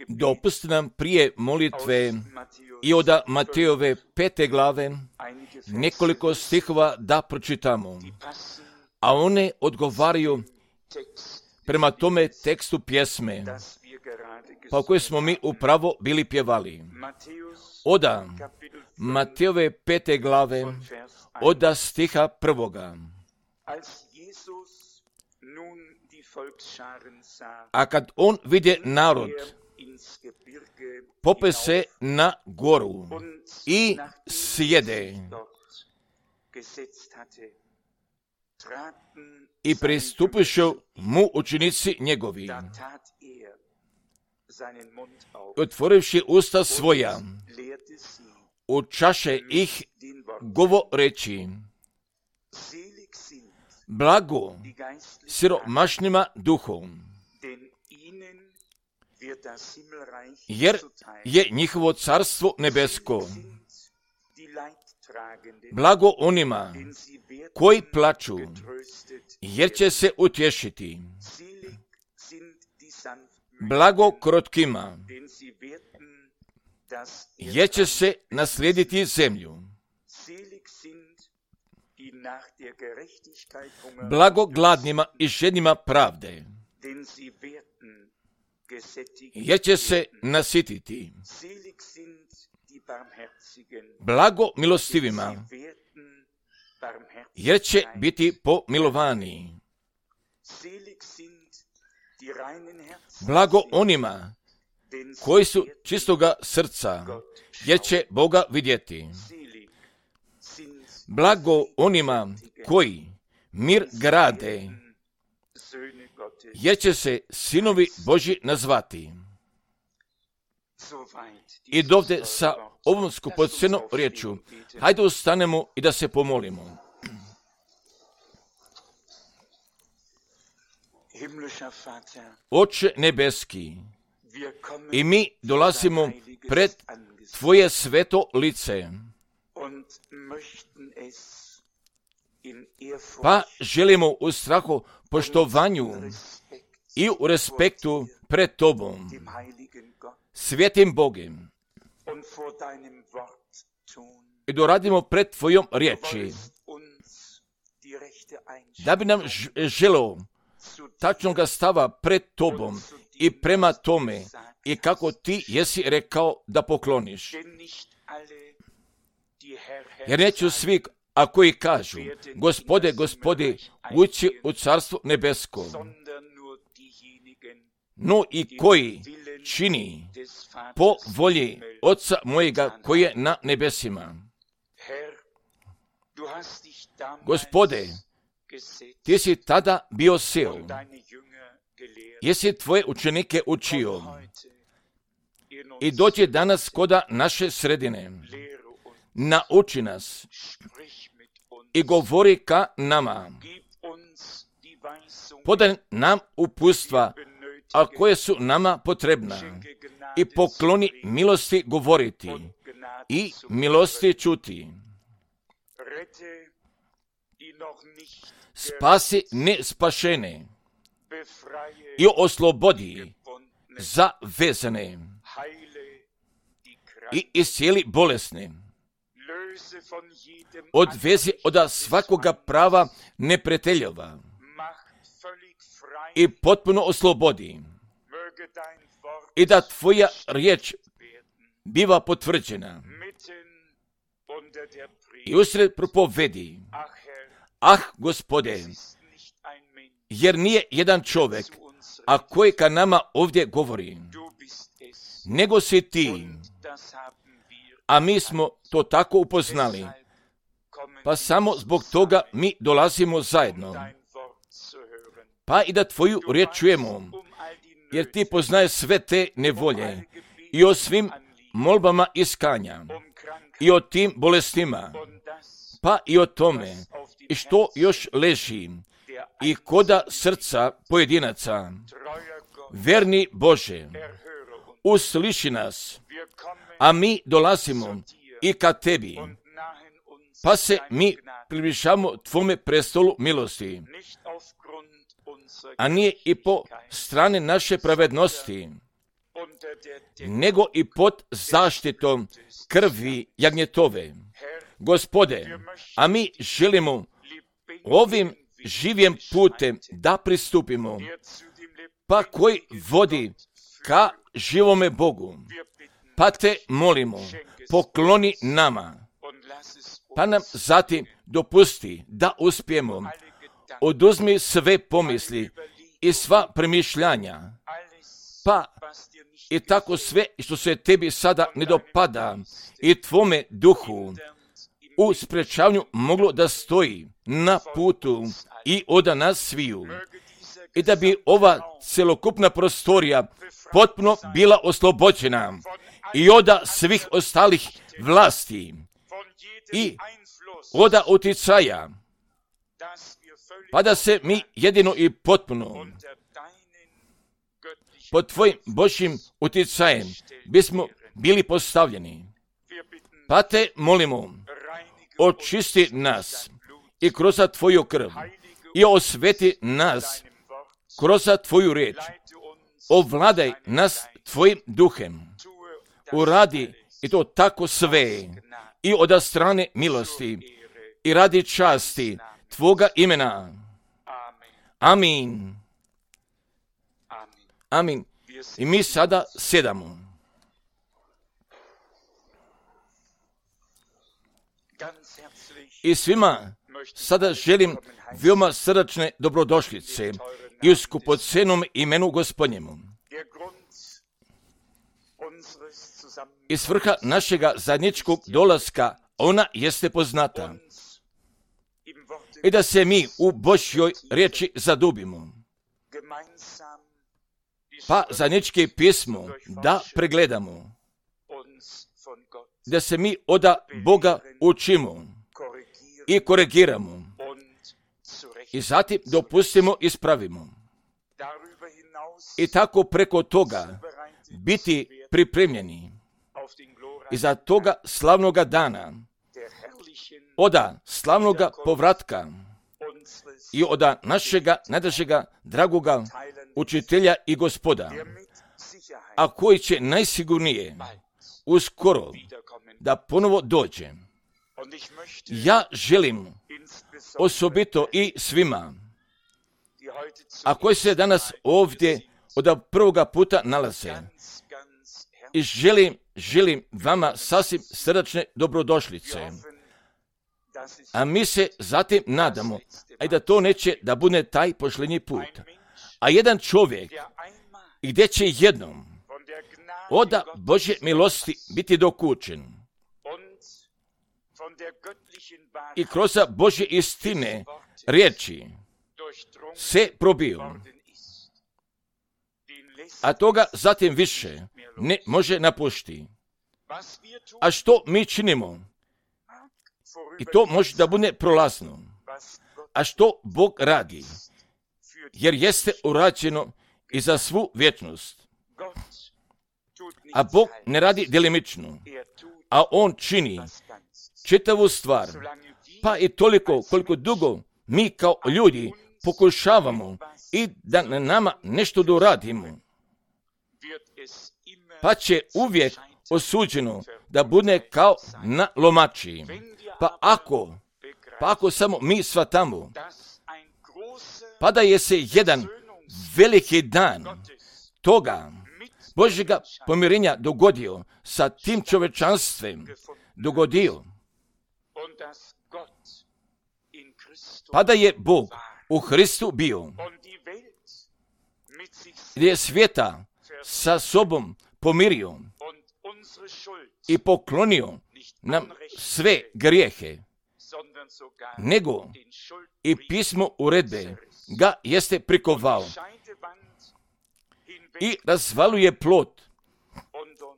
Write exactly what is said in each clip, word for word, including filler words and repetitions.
Dopustite nam prije molitve i od Matejove pete glave nekoliko stihova da pročitamo, a one odgovaraju prema tome tekstu pjesme, pa koje smo mi upravo bili pjevali. Oda Matejove pete glave, oda stiha prvoga. A kad on vidje narod, pope se na goru i sjede. I pristupišu mu učenici njegovi, otvorivši usta svoja, učaše ih govoreći: blago siromašnima duhom, jer je njihovo carstvo nebesko. Blago onima koji plaču, jer će se utješiti. Blago krotkima, jer će se naslijediti zemlju. Blago gladnima i žednima pravde, jer će se nasititi. Blago milostivima, jer će biti pomilovani. Blago onima koji su čistoga srca, jer će Boga vidjeti. Blago onima koji mir grade, jer će se sinovi Božji nazvati. I dovde sa ovom skupocenom riječu, hajde ustanemo i da se pomolimo. Oče nebeski, i mi dolazimo pred Tvoje sveto lice, pa želimo u strahu, poštovanju i u respektu pred Tobom, svetim Bogem, i doradimo pred Tvojom riječi, da bi nam želeo tačnoga stava pred Tobom i prema tome i kako Ti jesi rekao da pokloniš. Jer neću svi, a koji kažu, Gospode, Gospode, ući u carstvo nebesko, no i koji čini po volji Oca mojega koji je na nebesima. Gospode, Ti si tada bio seo, jesi Tvoje učenike učio i dođi danas koda naše sredine, nauči nas i govori ka nama, podaj nam upustva, a koje su nama potrebna, i pokloni milosti govoriti i milosti čuti. Spasi nespašene i oslobodi zavezane i iscijeli bolesne. Odvezi od svakoga prava neprijateljova i potpuno oslobodi, i da Tvoja riječ biva potvrđena i usred propovedi. Ah, Gospode, jer nije jedan čovjek, a koji ka nama ovdje govori, nego si Ti, a mi smo to tako upoznali, pa samo zbog toga mi dolazimo zajedno, pa i da Tvoju riječ čujemo, jer Ti poznaje sve te nevolje i o svim molbama iskanja i o tim bolestima, pa i o tome i što još leži i koda srca pojedinaca. Verni Bože, usliši nas, a mi dolazimo i ka Tebi, pa se mi približamo Tvome prestolu milosti, a nije i po strani naše pravednosti, nego i pod zaštitom krvi jagnjetove. Gospode, a mi želimo ovim živim putem da pristupimo, pa koji vodi ka živome Bogu. Pa te molimo, pokloni nama, pa nam zatim dopusti da uspijemo. Oduzmi sve pomisli i sva premišljanja, pa i tako sve što se tebi sada ne dopada i tvome duhu u sprečavanju moglo da stoji na putu i od nas sviju. I da bi ova celokupna prostorija potpuno bila oslobođena i od svih ostalih vlasti i od uticaja, pa da se mi jedino i potpuno pod tvojim Božjim uticajem bismo bili postavljeni. Pa te molimo, očisti nas i kroz tvoju krv i osveti nas kroz tvoju riječ. Ovladaj nas tvojim duhem. Uradi i to tako sve i od strane milosti i radi časti tvoga imena. Amin. Amin. I mi sada sjedamo. I svima sada želim veoma srdačne dobrodošlice i u skupocenom imenu Gospodnjemu. I svrha našega zajedničkog dolaska, ona jeste poznata. I da se mi u Božjoj riječi zadubimo. Pa zajednički pismo da pregledamo. Da se mi od Boga učimo i korigiramo. I zatim dopustimo i ispravimo. I tako preko toga biti pripremljeni i za toga slavnoga dana, oda slavnoga povratka i oda našega najdražega dragoga učitelja i Gospoda, a koji će najsigurnije uskoro da ponovo dođe. Ja želim osobito i svima, a koji se danas ovdje od prvoga puta nalaze, i želim, želim vama sasvim srdačne dobrodošlice. A mi se zatim nadamo, a da to neće da bude taj posljednji put. A jedan čovjek, gdje će jednom od Božje milosti biti dokučen i kroz Božje istine riječi se probio, a toga zatim više ne može napušti. A što mi činimo? I to može da bude prolazno. A što Bog radi? Jer jeste urađeno i za svu vječnost. A Bog ne radi delimično, a On čini čitavu stvar, pa i toliko koliko dugo mi kao ljudi pokušavamo i da na nama nešto doradimo, pa će uvijek osuđeno da bude kao na lomači. Pa ako, pa ako samo mi shvatamo, pa da je se jedan veliki dan toga Božjega pomirenja dogodio sa tim čovečanstvem, dogodio, pa da je Bog u Hristu bio, gdje je svijeta sa sobom pomirio i poklonio nam sve grijehe, nego i pismo uredbe ga jeste prikovao i razvaluje plot,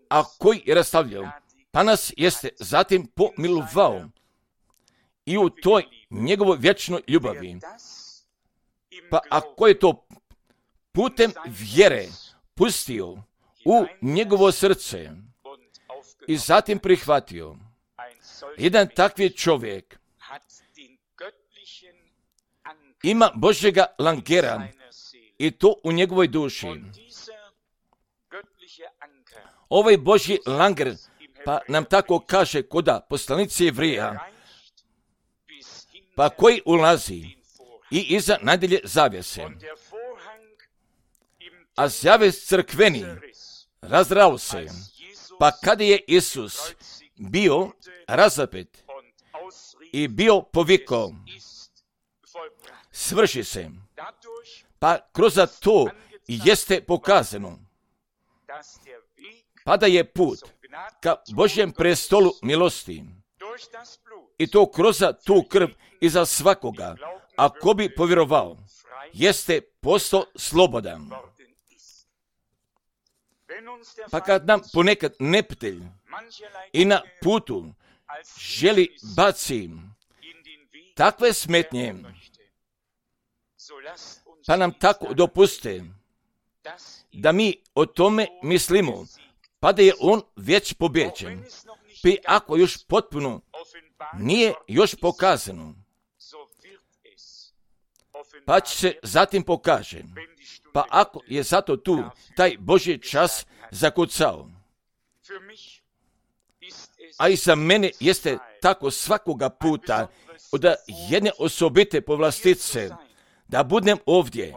a koji je rastavljao, pa nas jeste zatim pomilovao i u toj njegovoj vječnoj ljubavi. Pa ako je to putem vjere pustio u njegovo srce i zatim prihvatio, jedan takvi čovjek ima Božjega langera i to u njegovoj duši. Ovaj Božji langer, pa nam tako kaže koda poslanici Jevrija, pa koji ulazi i iza najdjelje zavjese. A zavjes crkveni razdrao se, pa kada je Isus bio razapet i bio povikao, svrši se, pa kroz to jeste pokazano, pa da je put ka Božjem prestolu milosti, i to kroz tu krv iza svakoga, ako bi povjerovao, jeste postao slobodan. Pa kad nam ponekad neprijatelj i na putu želi baci takve smetnje, pa nam tako dopuste da mi o tome mislimo, pa da je on već pobjeđen, pa ako još potpuno nije još pokazano, pa će se zatim pokaže, pa ako je zato tu taj Božji čas zakucao. A i za mene jeste tako svakoga puta od jedne osobite povlastice da budem ovdje.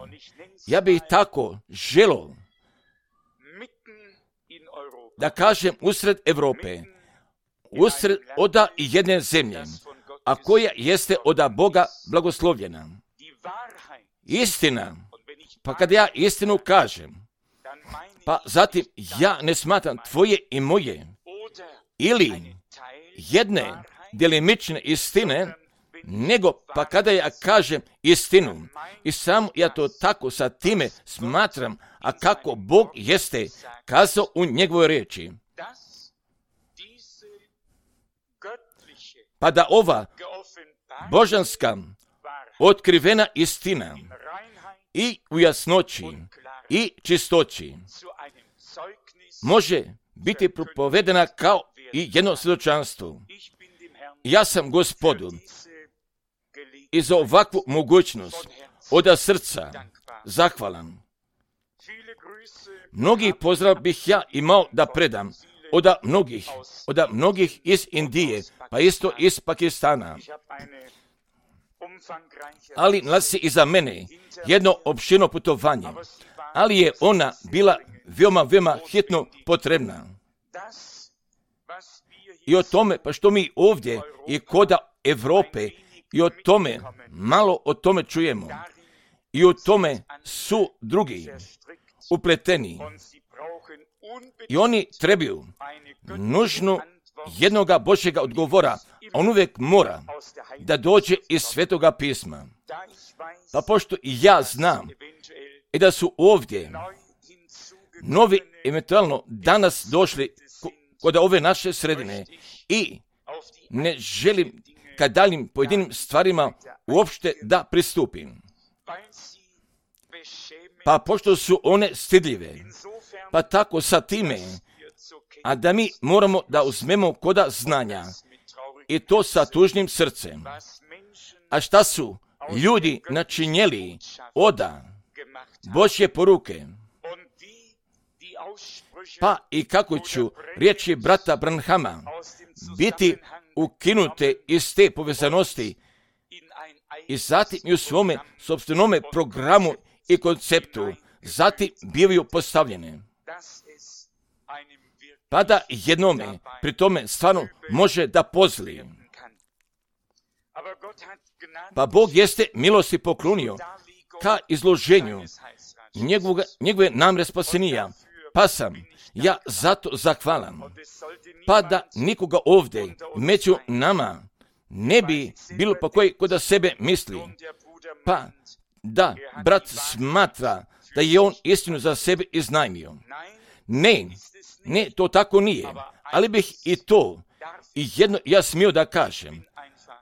Ja bih tako želio da kažem usred Europe, usred oda i jedne zemlje, a koja jeste oda Boga blagoslovljena. Istina, pa kad ja istinu kažem, pa zatim ja ne smatram tvoje i moje, ili jedne djelimične istine, nego pa kada ja kažem istinu, i sam ja to tako sa time smatram, a kako Bog jeste kazao u njegovoj riječi. Pa da ova božanska otkrivena istina i u jasnoći i čistoći može biti propovedena kao i jedno svjedočanstvo. Ja sam Gospodu i za ovakvu mogućnost od srca zahvalan. Mnogi pozdrav bih ja imao da predam od mnogih, od mnogih iz Indije, pa isto iz Pakistana. Ali nalazi iza mene jedno opširno putovanje, ali je ona bila veoma, veoma hitno potrebna. I o tome, pa što mi ovdje i koda Europe, i o tome, malo o tome čujemo. I o tome su drugi upleteni. I oni trebaju nužno jednoga Božjega odgovora. On uvijek mora da dođe iz Svetoga pisma. Pa pošto i ja znam i da su ovdje novi eventualno danas došli kod ove naše sredine i ne želim ka daljim pojedinim stvarima uopšte da pristupim. Pa pošto su one stidljive, pa tako sa time, a da mi moramo da uzmemo koda znanja i to sa tužnim srcem. A šta su ljudi načinjeli oda Božje poruke? Pa i kako ću riječi brata Branhama biti ukinute iz te povezanosti i zatim i u svome sopstvenome programu i konceptu zatim bivaju postavljene. Pa da jednome pri tome stvarno može da pozli. Pa Bog jeste milosti poklonio ka izloženju njegovog, njegove namre spasenija. Pa sam ja zato zahvalan. Pa da nikoga ovdje među nama ne bi bilo pa koji kod da sebe misli. Pa da brat smatra da je on istinu za sebe iznajmio. Ne, ne, to tako nije. Ali bih i to i jedno ja smio da kažem.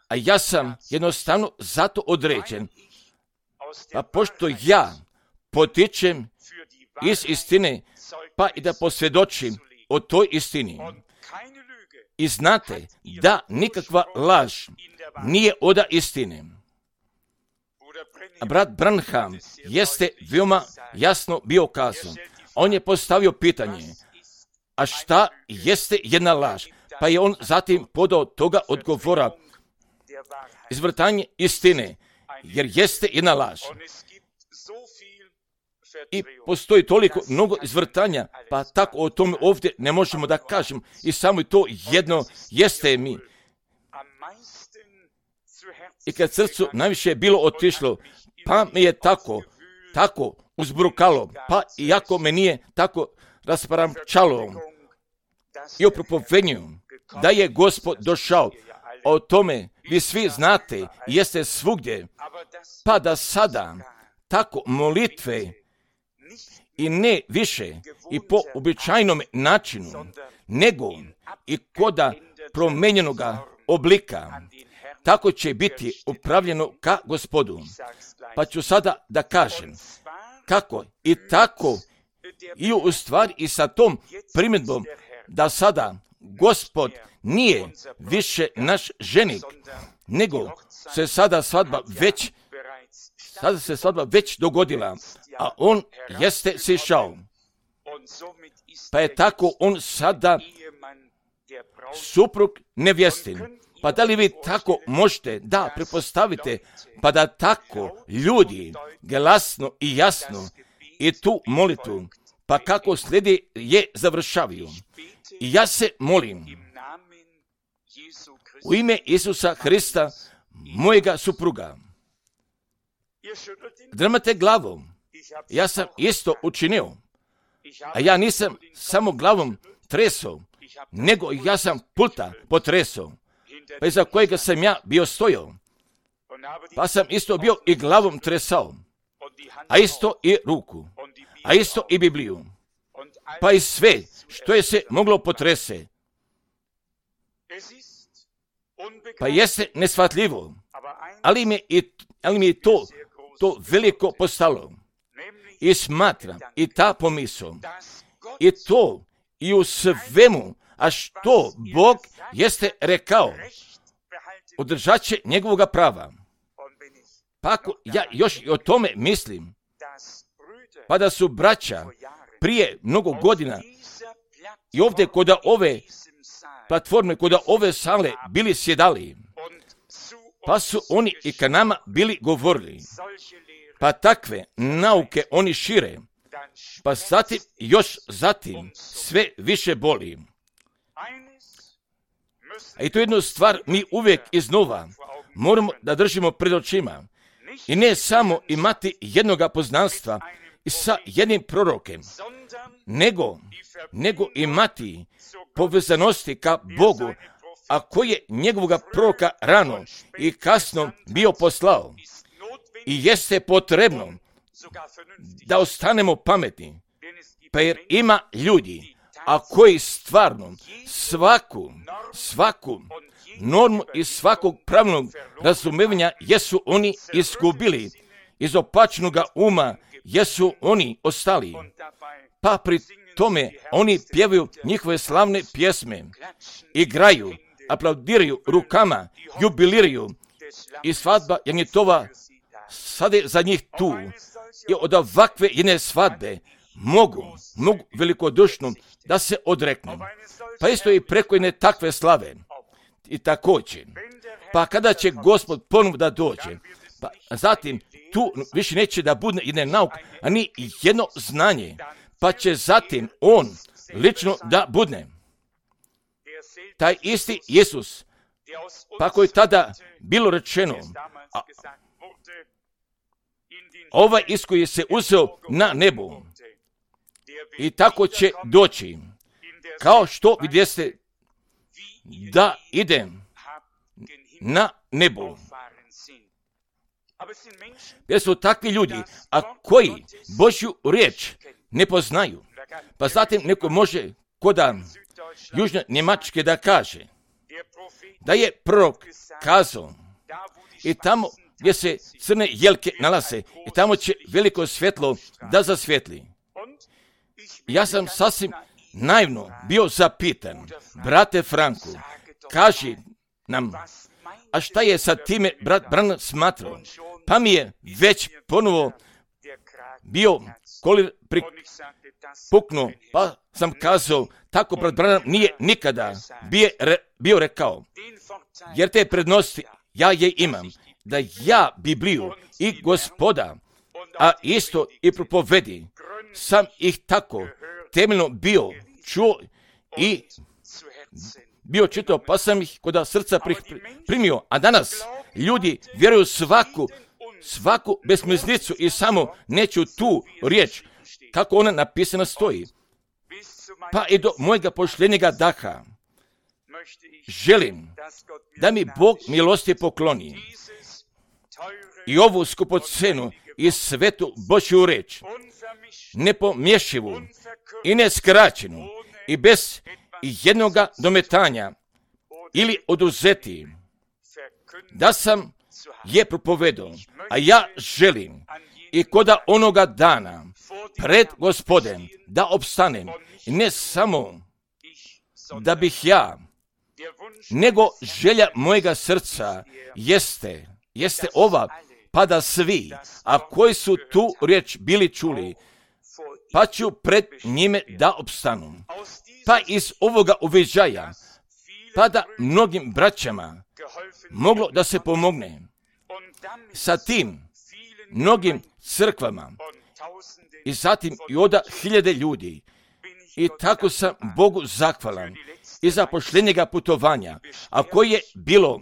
A ja sam jednostavno zato određen. Pa pošto ja potičem iz istine, pa i da posvjedočim o toj istini. I znate da nikakva laž nije oda istine. brat Branham jeste veoma jasno bio kazao. On je postavio pitanje, a šta jeste jedna laž? Pa je on zatim podao toga odgovora, izvrtanje istine, jer jeste jedna laž. I postoji toliko mnogo izvrtanja, pa tako o tome ovdje ne možemo da kažemo. I samo to jedno jeste mi. I kad srcu najviše je bilo otišlo, pa me je tako, tako uzbrukalo, pa iako me nije tako rasparamčalo i o propovednju da je Gospod došao, o tome vi svi znate i jeste svugdje, pa da sada tako molitve i ne više i po običajnom načinu, nego i koda promenjenoga oblika, tako će biti upravljeno ka Gospodu. Pa ću sada da kažem kako i tako i u stvari i sa tom primjedbom da sada Gospod nije više naš ženik, nego se sada svadba već sada se svadba već dogodila, a on jeste sišao. Pa je tako on sada suprug nevjestin. Pa da li vi tako možete da pretpostavite, pa da tako ljudi glasno i jasno i tu molitvu, pa kako slijedi je završavaju. I ja se molim u ime Isusa Hrista, mojega supruga. Drmate glavom. Ja sam isto učinio. A ja nisam samo glavom tresao, nego ja sam pulta potresao. Pa iza kojega sam ja bio stojao. Pa sam isto bio i glavom tresao. A isto i ruku. A isto i Bibliju. Pa i sve što je se moglo potrese. Pa jeste neshvatljivo. Ali mi je, ali mi je to, to veliko postalo. I smatram i ta pomisao. I to i u svemu, a što Bog jeste rekao, održat će njegovoga prava. Pa ako ja još i o tome mislim, pa da su braća prije mnogo godina i ovdje kod ove platforme, kod ove sale bili sjedali, pa su oni i ka nama bili govorili, pa takve nauke oni šire, pa zatim, još zatim, sve više boli. A i to jednu stvar mi uvijek iznova moramo da držimo pred očima. I ne samo imati jednoga poznanstva i sa jednim prorokem, nego, nego imati povezanosti ka Bogu, a koji je njegovoga proroka rano i kasno bio poslao. I jeste potrebno da ostanemo pametni, pa jer ima ljudi, a koji stvarno svaku, svaku normu i svakog pravnog razumevanja jesu oni izgubili, iz opačnoga uma jesu oni ostali, pa pri tome oni pjevaju njihove slavne pjesme, igraju, aplaudiraju rukama, jubiliraju i svadba Janjetova sada je za njih tu. I od ovakve jedne svadbe mogu, mogu velikodušno da se odreknu. Pa isto i preko jedne takve slave. I također, pa kada će Gospod ponovno da dođe, pa zatim tu više neće da bude jedne nauke, a ni jedno znanje, pa će zatim on lično da budne. Taj isti Isus, pa koji tada bilo rečeno, a, ovaj Isus koji se uzeo na nebu i tako će doći, kao što vidjeste da idem na nebu. Jer su takvi ljudi, a koji Božju riječ ne poznaju. Pa zatim neko može koda Južne Njemačke da kaže da je prorok kazao i tamo gdje se crne jelke nalaze i tamo će veliko svjetlo da zasvjetli. Ja sam sasvim naivno bio zapitan, brate Franku, kaži nam, a šta je sa time brat Branham smatrao? pa mi je već ponovo bio kolir puknuo, pa sam kazao, tako brat Branham nije nikada bio, re, bio rekao, jer te prednosti ja je imam, da ja Bibliju i Gospoda, a isto i propovedi, sam ih tako temeljno bio čuo i bio čitao, pa sam ih kod srca primio. A danas ljudi vjeruju svaku, svaku besmislicu i samo neću tu riječ, kako ona napisana stoji. Pa i do mojega pošljenjega daha želim da mi Bog milosti pokloni i ovu skupocenu i svetu Božju reč, nepomješivu i neskraćenu i bez jednoga dometanja ili oduzeti, da sam je propovedao, a ja želim i koda onoga dana pred Gospodem da opstanem, i ne samo da bih ja, nego želja mojega srca jeste, jeste ova, pa da svi, a koji su tu riječ bili čuli, pa ću pred njime da opstanu. Pa iz ovoga uviđaja, pa da mnogim braćama moglo da se pomogne. Sa tim mnogim crkvama i zatim i oda hiljade ljudi. I tako sam Bogu zahvalan i za pošljenjega putovanja, a koje je bilo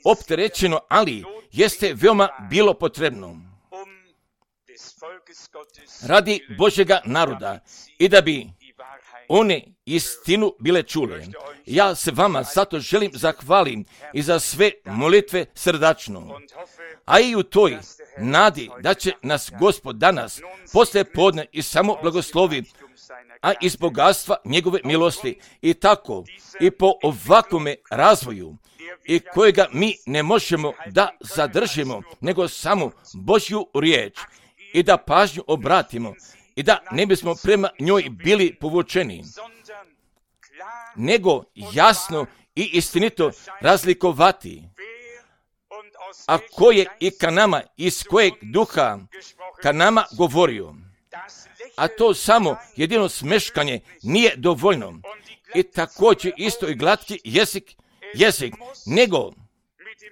opterećeno, ali jeste veoma bilo potrebno radi Božjega naroda i da bi one istinu bile čule. Ja se vama zato želim zahvalim i za sve molitve srdačno, a i u toj nadi da će nas Gospod danas poslije podne i samo blagoslovi, a iz bogatstva njegove milosti i tako i po ovakvome razvoju i kojega mi ne možemo da zadržimo, nego samo Božju riječ i da pažnju obratimo i da ne bismo prema njoj bili povučeni, nego jasno i istinito razlikovati, a ko je i ka nama, iz kojeg duha ka nama govorio. A to samo jedino smeškanje nije dovoljno. I također isto i glatki jezik, jezik, nego,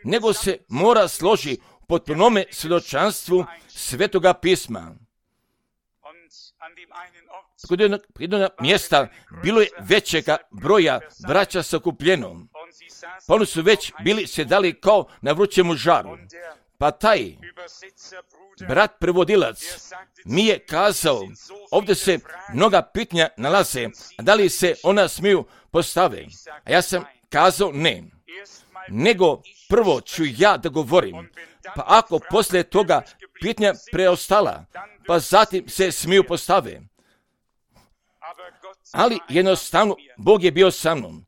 nego se mora složi potpunome svjedočanstvu Svetoga pisma. Kod jednog, jednog mjesta bilo je većega broja braća sakupljeno, pa oni su već bili sjedali kao na vrućemu žaru. Pa taj brat prevodilac mi je kazao, ovdje se mnoga pitanja nalaze, a da li se ona smiju postave? A ja sam kazao ne, nego prvo ću ja da govorim, pa ako poslije toga pitanja preostala, pa zatim se smiju postave. Ali jednostavno Bog je bio sa mnom.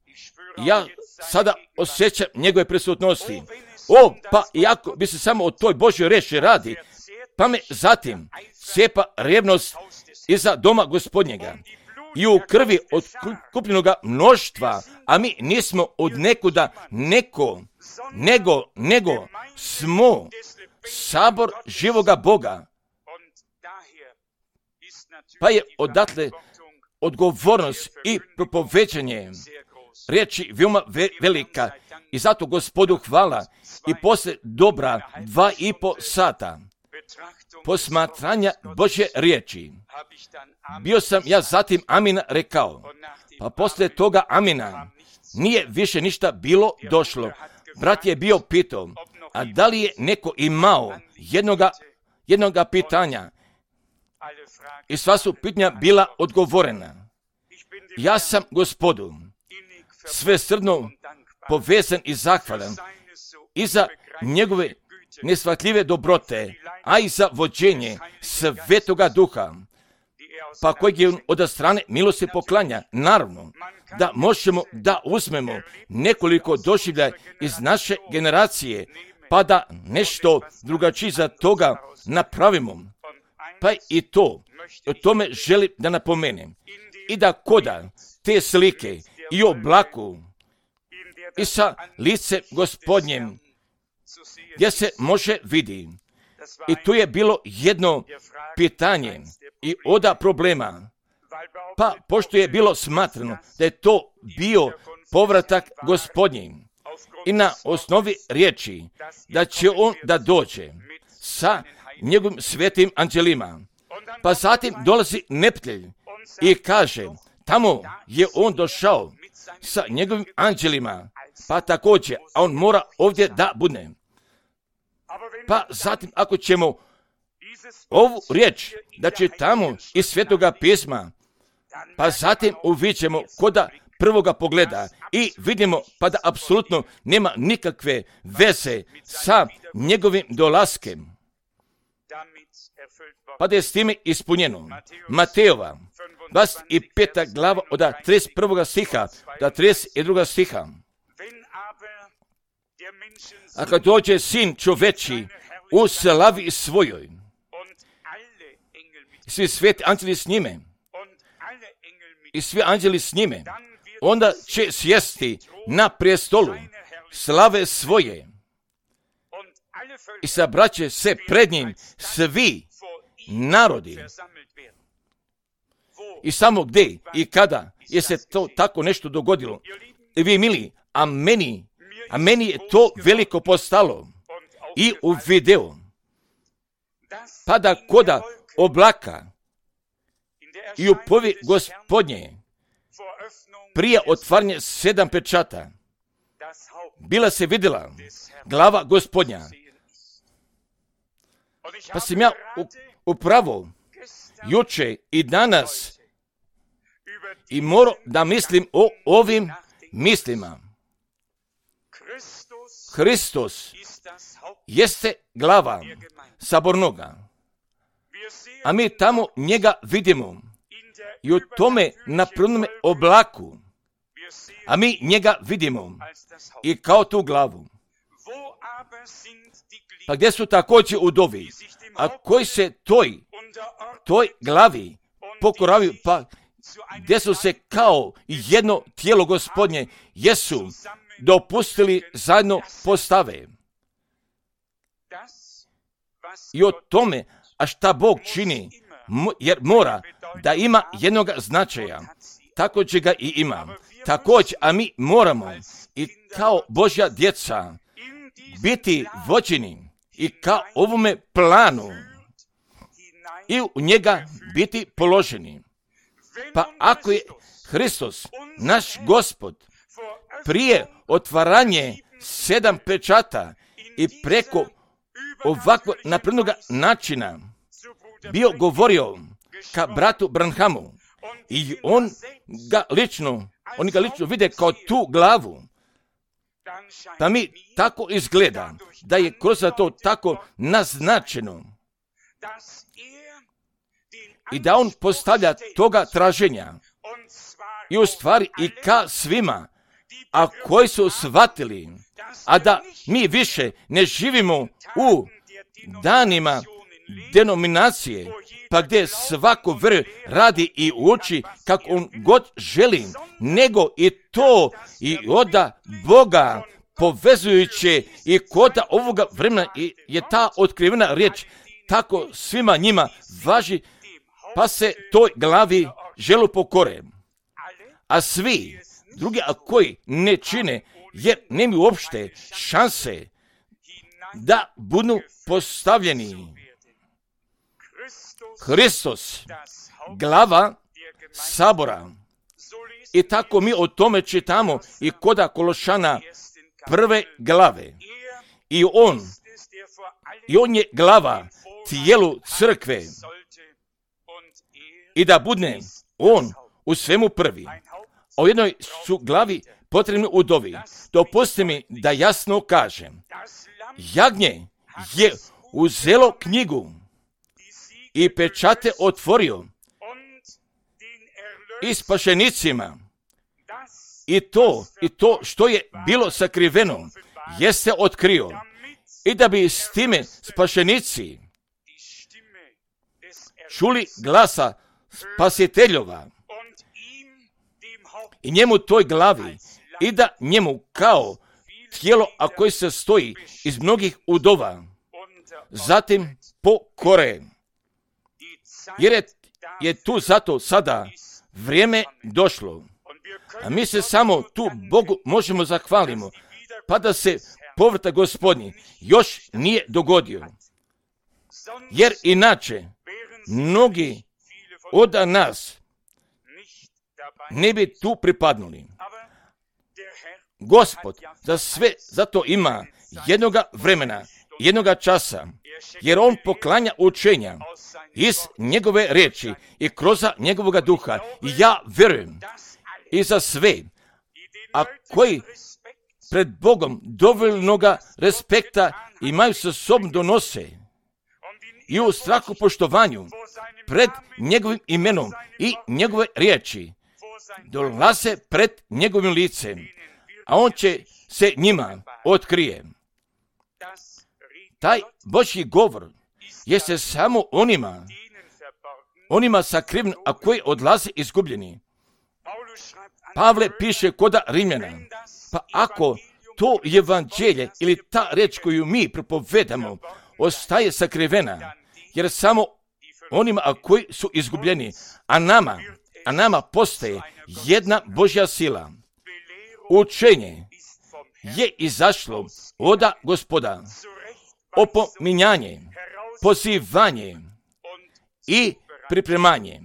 Ja sada osjećam njegove prisutnosti. O, pa iako bi se samo o toj Božjoj riječi radi, pa me zatim cijepa revnost iza doma Gospodnjega i u krvi od kupljenoga mnoštva, a mi nismo od nekuda neko, nego, nego smo sabor živoga Boga. Pa je odatle odgovornost i propoveđanje riječi veoma ve- velika i zato Gospodu hvala. I poslije dobra dva i po sata posmatranja Božje riječi bio sam ja zatim amina rekao, pa poslije toga amina nije više ništa bilo došlo. Brat je bio pitao, a da li je neko imao jednoga, jednoga pitanja, i sva su pitanja bila odgovorena. Ja sam Gospodu svesrdno povezan i zahvalan i za njegove nesvatljive dobrote, a i za vođenje Svetoga Duha, pa kojeg je od strane milosti poklanja. Naravno, da možemo da uzmemo nekoliko doživljaja iz naše generacije, pa da nešto drugačije za toga napravimo. Pa i to, o tome želim da napomenem. I da koda te slike i oblaku i sa licem Gospodnjem, gdje se može vidi I tu je bilo jedno pitanje i oda problema. Pa, pošto je bilo smatrano da je to bio povratak Gospodnji i na osnovi riječi da će on da dođe sa njegovim svetim anđelima. Pa zatim dolazi neprijatelj i kaže, tamo je on došao sa njegovim anđelima, pa također, a on mora ovdje da bude. Pa zatim, ako ćemo ovu riječ da čitamo iz Svetoga pisma, pa zatim uviđemo koda prvoga pogleda i vidimo pa da apsolutno nema nikakve veze sa njegovim dolaskem. Pa da je s time ispunjeno. Matejova, dvadeset peta glava od trideset prvog stiha do trideset drugog stiha. A kad dođe sin čoveči u slavi svojoj, svi sveti anđeli s njime, i svi anđeli s njime, onda će sjesti na prijestolu slave svoje i sabraće se pred njim svi narodi. I samo gdje i kada je se to tako nešto dogodilo. I vi mili, a meni, a meni je to veliko postalo i u videu. Pa da koda oblaka i u povi Gospodnje prije otvaranja sedam pečata bila se vidjela glava Gospodnja. Pa sam ja upravo juče i danas i moram da mislim o ovim mislima. Hristos jeste glava sabornoga, a mi tamo njega vidimo i u tome na prvome oblaku, a mi njega vidimo i kao tu glavu. Pa gdje su također udovi, a koji se toj, toj glavi pokoravaju, pa gdje su se kao jedno tijelo Gospodnje jesu dopustili zajedno postave. I o tome, a šta Bog čini, jer mora da ima jednog značaja, tako će ga i ima. Također, a mi moramo i kao Božja djeca biti vođeni i kao ovome planu i u njega biti položeni. Pa ako je Hristos, naš Gospod, prije otvaranje sedam pečata i preko ovakvog naprednog načina bio govorio ka bratu Branhamu i on ga lično, oni ga lično vide kao tu glavu. Pa mi tako izgleda da je kroz to tako naznačeno i da on postavlja toga traženja i u stvari i ka svima, a koji su shvatili, a da mi više ne živimo u danima denominacije, pa gdje svako vr radi i uči kako on god želi, nego i to i oda Boga povezujuće i koda ovoga vremena je ta otkrivena riječ tako svima njima važi, pa se toj glavi želu pokore. A svi drugi, a koji ne čine, jer nemaju uopšte šanse da budu postavljeni. Hristos, glava sabora. I tako mi o tome čitamo i koda Kološana prve glave. I on, i on je glava tijelu crkve. I da bude on u svemu prvi. A u jednoj su glavi potrebni udovi. Dopusti mi da jasno kažem. Jagnje je uzelo knjigu i pečate otvorio i spašenicima. I to, i to što je bilo sakriveno, jeste otkrio. I da bi s time spašenici čuli glasa spasiteljova i njemu toj glavi i da njemu kao tijelo, a koji se stoji iz mnogih udova zatim pokore. Jer je, je tu zato sada vrijeme došlo. A mi se samo tu Bogu možemo zahvalimo, pa da se povratak Gospodnji još nije dogodio. Jer inače, mnogi od nas ne bi tu pripadnuli. Gospod za sve zato ima jednoga vremena, jednoga časa, jer on poklanja učenja iz njegove riječi i kroz njegovoga duha. I ja vjerujem i za sve, a koji pred Bogom dovoljnoga respekta imaju sa sobom donose i u strahu poštovanju pred njegovim imenom i njegove riječi dolaze pred njegovim licem, a on će se njima otkrije. Taj Božji govor jeste samo onima, onima sakriven, a koji odlaze izgubljeni. Pavle piše koda Rimljana, pa ako to evanđelje ili ta reč koju mi propovedamo ostaje sakrivena, jer samo onima a koji su izgubljeni, a nama, a nama postaje jedna Božja sila. Učenje je izašlo od Gospoda, opominjanje, pozivanje i pripremanje.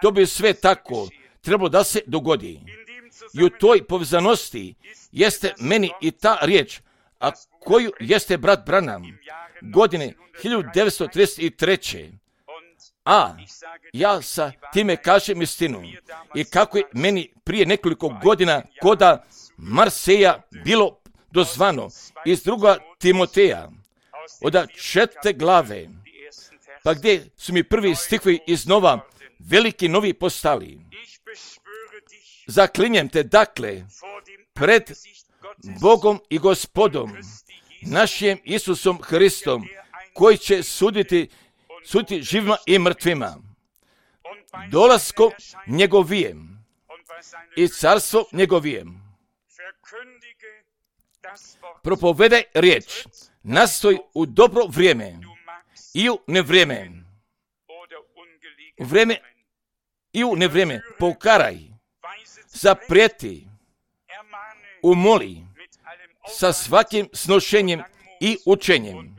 To bi sve tako trebalo da se dogodi. I u toj povezanosti jeste meni i ta riječ, a koju jeste brat Branham godine hiljadu devetsto trideset treće. A ja sa time kažem istinu. I kako je meni prije nekoliko godina koda Marseja bilo dozvano iz druga Timoteja, od četvrte glave, pa gdje su mi prvi stihovi iznova veliki novi postali. Zaklinjem te dakle pred Bogom i Gospodom, našim Isusom Hristom, koji će suditi, suditi živima i mrtvima, dolaskom njegovijem i carstvo njegovijem. Propovedaj riječ, nastoj u dobro vrijeme i u nevrijeme. U vrijeme i u nevrijeme pokaraj, zaprijeti, umoli sa svakim snošenjem i učenjem.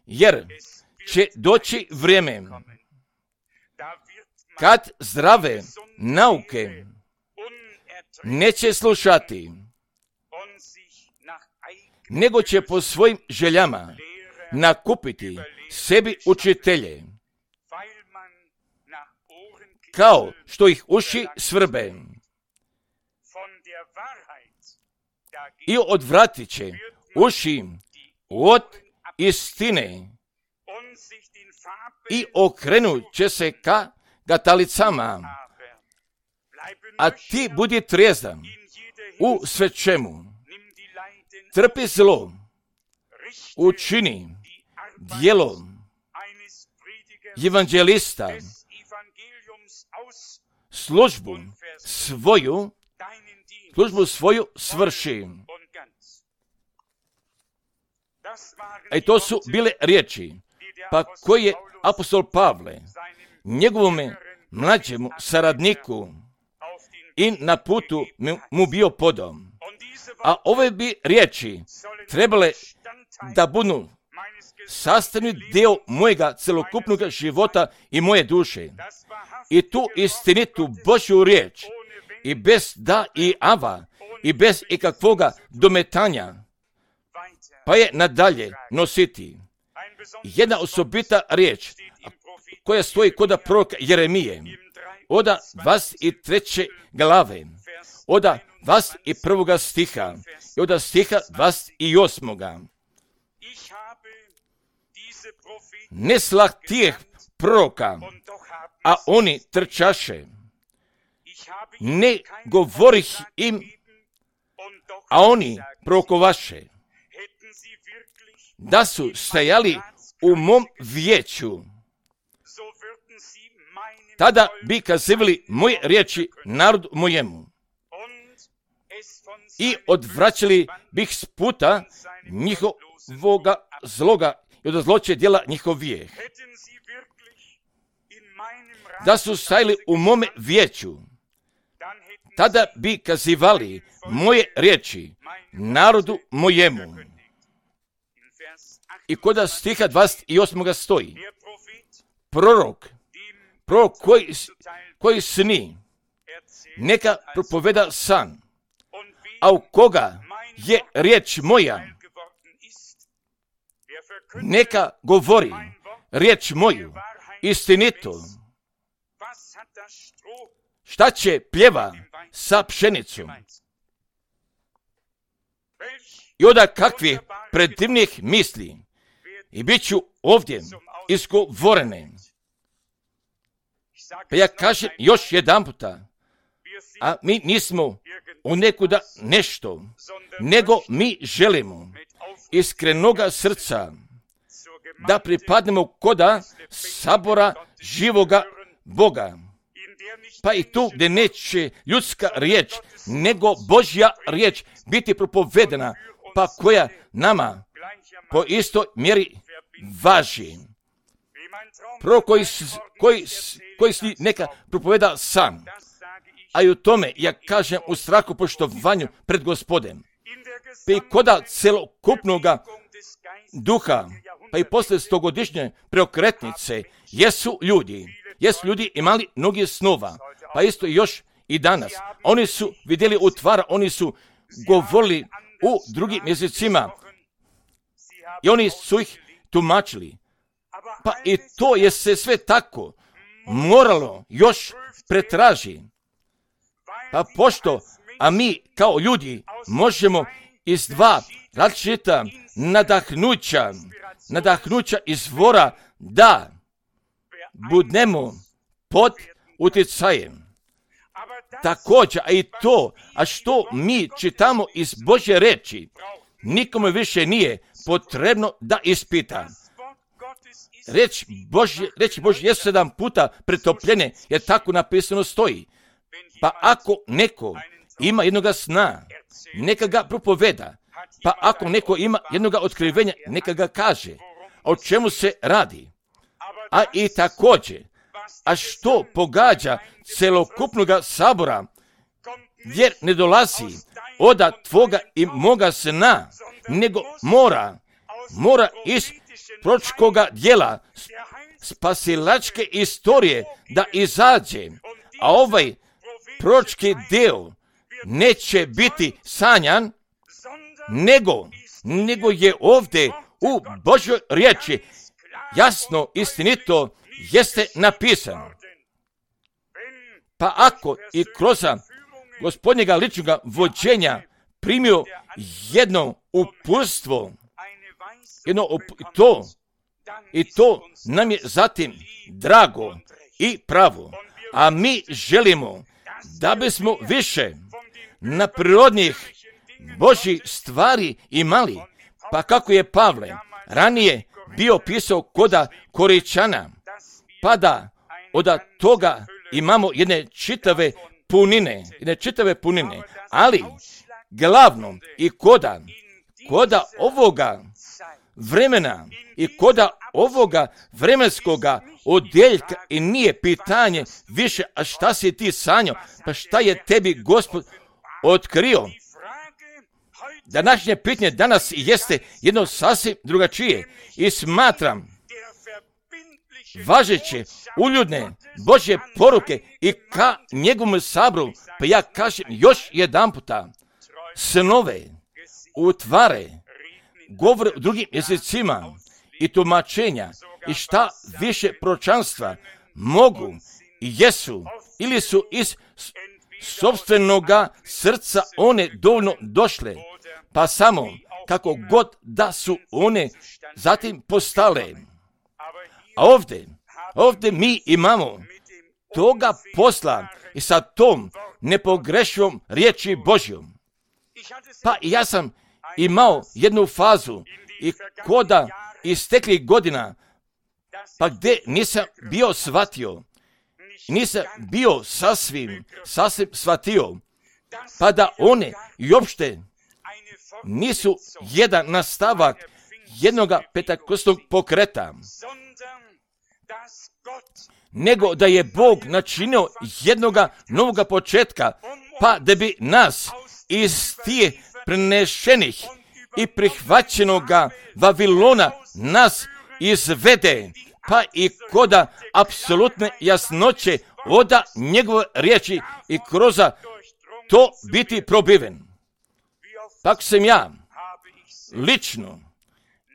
Jer će doći vrijeme kad zdrave nauke neće slušati, nego će po svojim željama nakupiti sebi učitelje, kao što ih uši svrbe, i odvratit će uši od istine i okrenut će se ka gatalicama. A ti budi trijezan u sve čemu. Trpi zlo, učini djelo evanđelista, službu svoju, službu svoju svrši. I to su bile riječi, pa koji je apostol Pavle njegovome mlađemu saradniku i na putu mu bio podom. A ove bi riječi trebale da budu sastavni dio mojega celokupnog života i moje duše. I tu istinitu Božju riječ, i bez da i ava, i bez ikakvoga dometanja, pa je nadalje nositi. Jedna osobita riječ koja stoji kod proroka Jeremije, od dvadeset treće glave, od dvadeset prvog stiha i od stiha dvadeset osmog. Ne slah tih proroka, a oni trčaše. Ne govorih im, a oni prorokovaše. Da su stajali u mom vijeću, tada bi kazivali moje riječi narodu mojemu i odvraćali bih s puta njihov njihovoga zloga i od zloće djela njihov vijeh. Da su stajali u mome vijeću, tada bi kazivali moje riječi narodu mojemu. I kod stiha dvadeset osam stoji, prorok, prorok koji, koji sni, neka propoveda san, a u koga je riječ moja, neka govori riječ moju istinito. Šta će pljeva sa pšenicom? I onda kakvih predivnih misli i bit ću ovdje izgovorene. Pa ja kažem još jedan puta, a mi nismo u nekuda nešto, nego mi želimo iskrenoga srca da pripadnemo koda sabora živoga Boga. Pa i tu gdje neće ljudska riječ, nego Božja riječ biti propovedena, pa koja nama po istoj mjeri važi. Prvo koji, koji, koji si neka propoveda san, a i u tome ja kažem u strahu poštovanju pred Gospodem. Pa i koda celokupnoga duha, pa i posle stogodišnje preokretnice, jesu ljudi, jesu ljudi imali mnogi snova, pa isto još i danas. Oni su vidjeli utvara, oni su govorili u drugim jezicima i oni su ih tumačili. Pa i to je se sve tako moralo još pretraži. Pa pošto, a mi kao ljudi možemo iz dva različita nadahnuća, nadahnuća izvora da budemo pod utjecajem. Također, a i to, a što mi čitamo iz Božje reči, nikome više nije potrebno da ispita. Reč Božje, reči Božje jesu sedam puta pretopljene, jer tako napisano stoji. Pa ako neko ima jednoga sna, neka ga propoveda. Pa ako neko ima jednoga otkrivenja, neka ga kaže. O čemu se radi? A i također, a što pogađa celokupnoga sabora, jer ne dolazi od tvoga i moga sna, nego mora, mora iz proročkoga djela, spasilačke istorije da izađe, a ovaj proročki dio neće biti sanjan, nego, nego je ovdje u Božjoj riječi jasno, istinito jeste napisano. Pa ako i kroz Gospodnjega ličnoga vođenja primio jedno uputstvo, jedno up- to, i to nam je zatim drago i pravo, a mi želimo da bismo više na prirodnih Božjih stvari imali, pa kako je Pavle ranije bio pisao koda Koričana, pa da od toga imamo jedne čitave punine, jedne čitave punine, ali glavno i koda, koda ovoga vremena i koda ovoga vremenskoga odjeljka i nije pitanje više, a šta si ti sanjao, pa šta je tebi Gospod otkrio. Današnje pitanje danas jeste jedno sasvim drugačije i smatram važeće uljudne Božje poruke i ka njegovom sabru, pa ja kažem još jedan puta, snove, utvare, govore u drugim jezicima i tumačenja i šta više proročanstva mogu i jesu ili su iz sopstvenoga srca one dovoljno došle, pa samo kako god da su one zatim postale. A ovdje, ovdje mi imamo toga posla i sa tom nepogrešivom riječi Božjom. Pa ja sam imao jednu fazu i koda isteklih godina, pa gdje nisam bio shvatio, nisam bio sasvim, sasvim shvatio, pa da one i uopšte nisu jedan nastavak jednoga petakostnog pokreta, nego da je Bog načinio jednoga novoga početka, pa da bi nas iz tije prenešenih i prihvaćenoga Vavilona nas izvede, pa i koda apsolutne jasnoće oda njegove riječi i kroz to biti probiven. Tako sam ja lično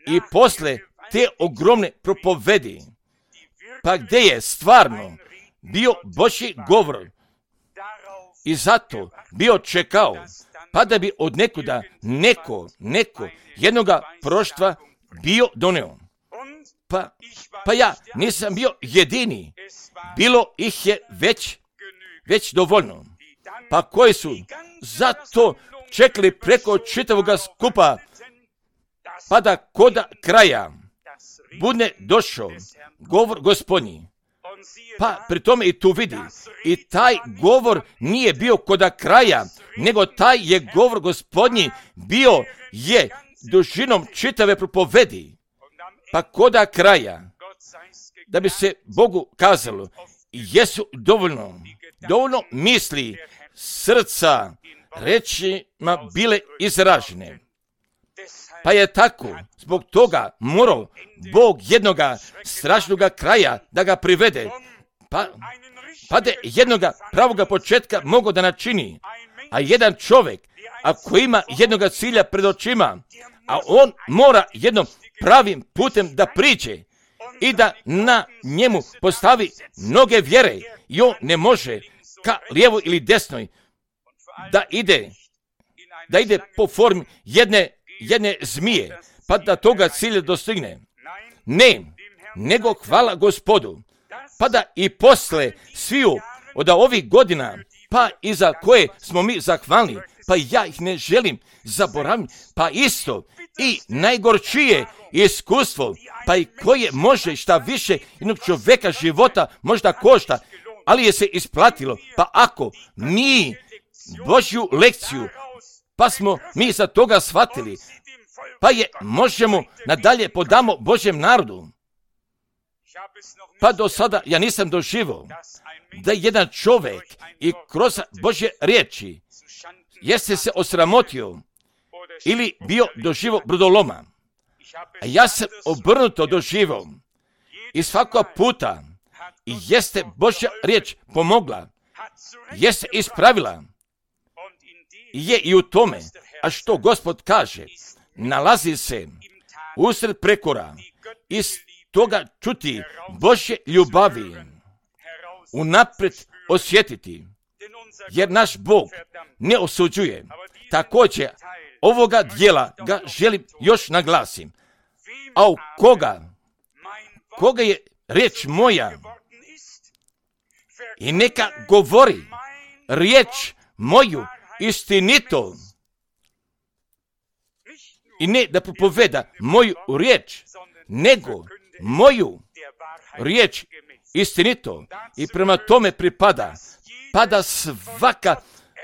i posle te ogromne propovedi, pa gdje je stvarno bio Božji govor i zato bio čekao, pa da bi od nekuda neko, neko jednoga proštva bio doneo. Pa, pa ja nisam bio jedini, bilo ih je već, već dovoljno. Pa koji su zato čekali preko čitavoga skupa, pa da koda kraja bude došao govor Gospodnji. Pa pri tome i tu vidi, i taj govor nije bio koda kraja, nego taj je govor Gospodnji bio je dužinom čitave propovedi. Pa koda kraja, da bi se Bogu kazalo, jesu dovoljno, dovoljno misli srca rečima bile izražene. Pa je tako, zbog toga morao Bog jednoga strašnoga kraja da ga privede, pa, pa da jednoga pravoga početka mogo da načini. A jedan čovjek, ako ima jednoga cilja pred očima, a on mora jednom pravim putem da priđe i da na njemu postavi mnoge vjere, i on ne može ka lijevo ili desnoj da ide, da ide po formi jedne, jedne zmije, pa da toga cilja dostigne. Ne, nego hvala Gospodu, pa da i posle sviju od ovih godina, pa i za koje smo mi zahvalni, pa ja ih ne želim zaboraviti, pa isto i najgorčije iskustvo, pa i koje može šta više jednog čovjeka života možda košta, ali je se isplatilo. Pa ako mi Božju lekciju, pa smo mi za toga shvatili, pa je možemo nadalje podamo Božjem narodu. Pa do sada ja nisam doživio da jedan čovjek i kroz Božje riječi jeste se osramotio ili bio doživio brodoloma. A ja sam obrnuto doživio i svakog puta i jeste Božja riječ pomogla, jeste ispravila, je i u tome, a što Gospod kaže, nalazi se usred prekora, iz toga čuti Božje ljubavi, unaprijed osjetiti, jer naš Bog ne osuđuje. Također, ovoga dijela ga želim još naglasim. A u koga, koga je riječ moja, i neka govori riječ moju istinito, i ne da propoveda moju riječ, nego moju riječ istinito, i prema tome pripada, pada svaka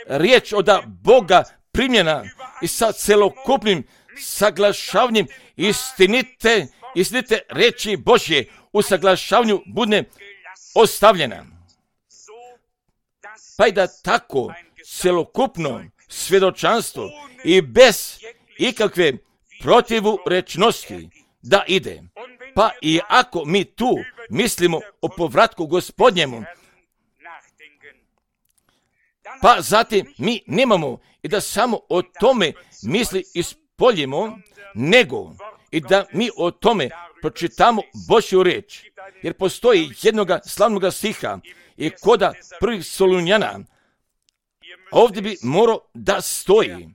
riječ od Boga primljena i sa celokupnim saglašavanjem istinite, istinite riječi Božje u saglašavanju bude ostavljena. Pa i da tako celokupno svjedočanstvo i bez ikakve protivurečnosti da ide. Pa i ako mi tu mislimo o povratku Gospodnjemu, pa zatim mi nemamo i da samo o tome misli ispoljimo, nego i da mi o tome pročitamo Božju riječ. Jer postoji jednoga slavnoga stiha i koda prvih Solunjana, ovdje bi morao da stoji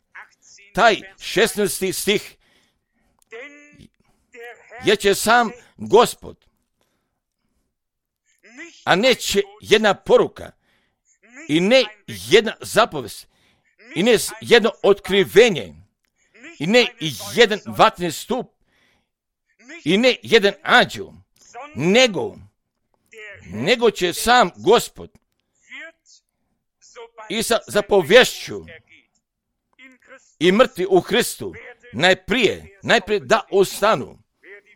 taj šesnaesti stih, jer će sam Gospod, a neće jedna poruka i ne jedna zapovest i ne jedno otkrivenje i ne jedan vatni stup i ne jedan anđel, nego nego će sam Gospod i sa zapovješću i mrtvi u Hristu najprije, najprije da ostanu.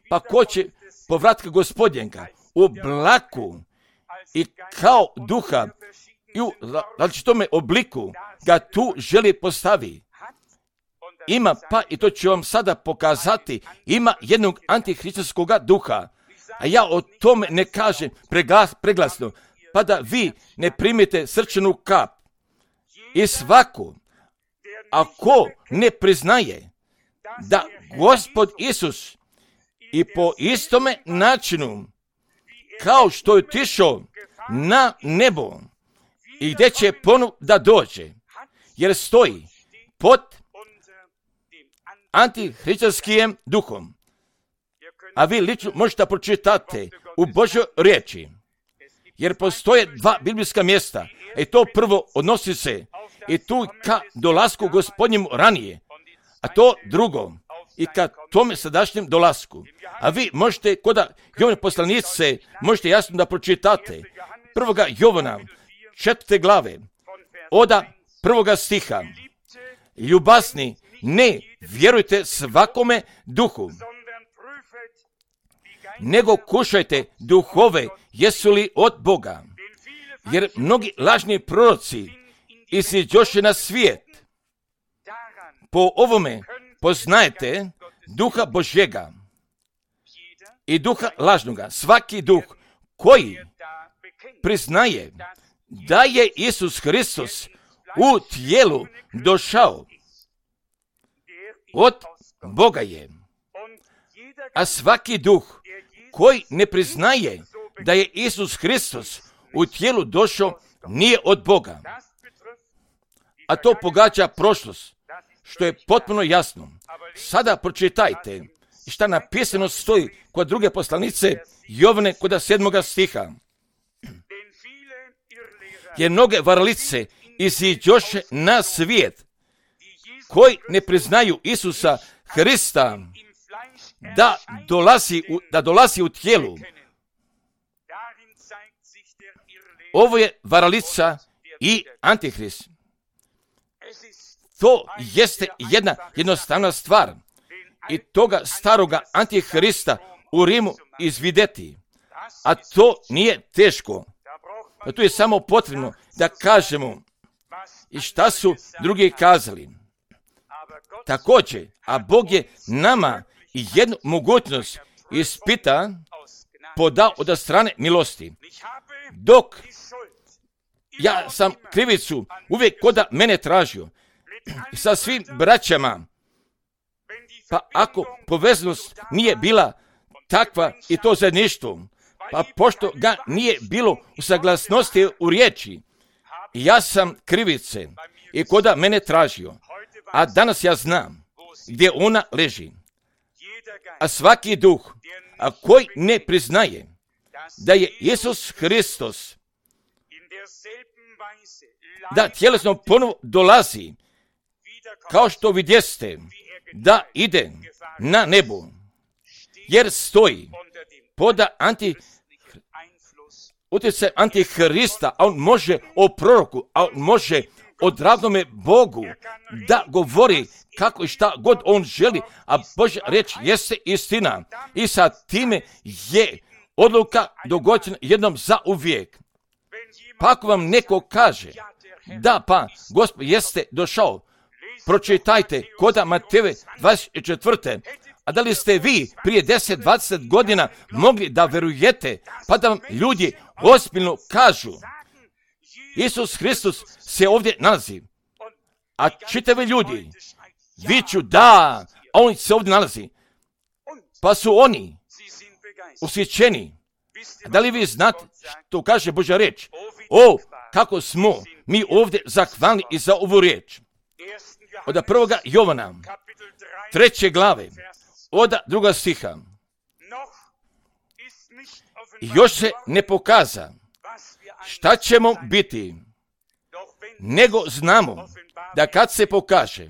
Pa ko će povratka Gospodnjega u oblaku i kao duha i u različitome obliku ga tu želi postavi. Ima, pa i to ću vam sada pokazati, ima jednog antihristovskog duha, a ja o tome ne kažem preglas, preglasno, pa da vi ne primite srčanu kap. I svako, ako ne priznaje da Gospod Isus i po istome načinu, kao što je otišao na nebo i gdje će ponovo da dođe, jer stoji pod antihristovskim duhom. A vi lično možete pročitati u Božoj riječi, jer postoje dva biblijska mjesta, i to prvo odnosi se i tu ka dolasku Gospodnjemu ranije, a to drugo i ka tome sadašnjem dolasku. A vi možete, kod Jovane poslanice, možete jasno da pročitate prvoga Jovana, četvrte glave, oda prvoga stiha. Ljubasni, ne vjerujte svakome duhu, nego kušajte duhove, jesu li od Boga. Jer mnogi lažni proroci iziđoše na svijet. Po ovome poznajete duha Božjega i duha lažnoga. Svaki duh koji priznaje da je Isus Hristos u tijelu došao, od Boga je. A svaki duh koji ne priznaje da je Isus Hristos u tijelu došao, nije od Boga. A to pogađa prošlost, što je potpuno jasno. Sada pročitajte šta napisano stoji kod druge poslanice Jovane kod sedmoga stiha. Jer mnoge varalice iziđoše na svijet, koji ne priznaju Isusa Hrista da dolazi u, da dolazi u tijelu. Ovo je varalica i antihrist. To jeste jedna jednostavna stvar. I toga staroga antihrista u Rimu izvideti. A to nije teško. A tu je samo potrebno da kažemo i šta su drugi kazali. Također, a Bog je nama jednu mogućnost ispita podao od strane milosti. Dok ja sam krivicu uvijek koda mene tražio sa svim braćama, pa ako povezanost nije bila takva i to zajedništvo, pa pošto ga nije bilo u saglasnosti u riječi, ja sam krivice i koda mene tražio, a danas ja znam gdje ona leži. A svaki duh, a koji ne priznaje da je Isus Hristos, da tjelesno ponovo dolazi, kao što vidjeste, da ide na nebo, jer stoji pod anti, utjecaj antihrista, a on može o proroku, a on može o dragome Bogu da govori kako i šta god on želi, a Božja riječ jeste istina. I sa time je odluka dogođena jednom za uvijek. Pa ako vam neko kaže da pa Gospod jeste došao, pročitajte koda Matejeve dvadeset četvrte. A da li ste vi prije deset do dvadeset godina mogli da verujete, pa da vam ljudi ozbiljno kažu Isus Hristos se ovdje nalazi, a čitavi ljudi viču da, a on se ovdje nalazi, pa su oni usjećeni. Da li vi znate što kaže Božja riječ? O, kako smo mi ovdje zahvalni i za ovu riječ. Od prvoga Jovana, treće glave, od druga stiha. Još se ne pokaza šta ćemo biti, nego znamo da kad se pokaže,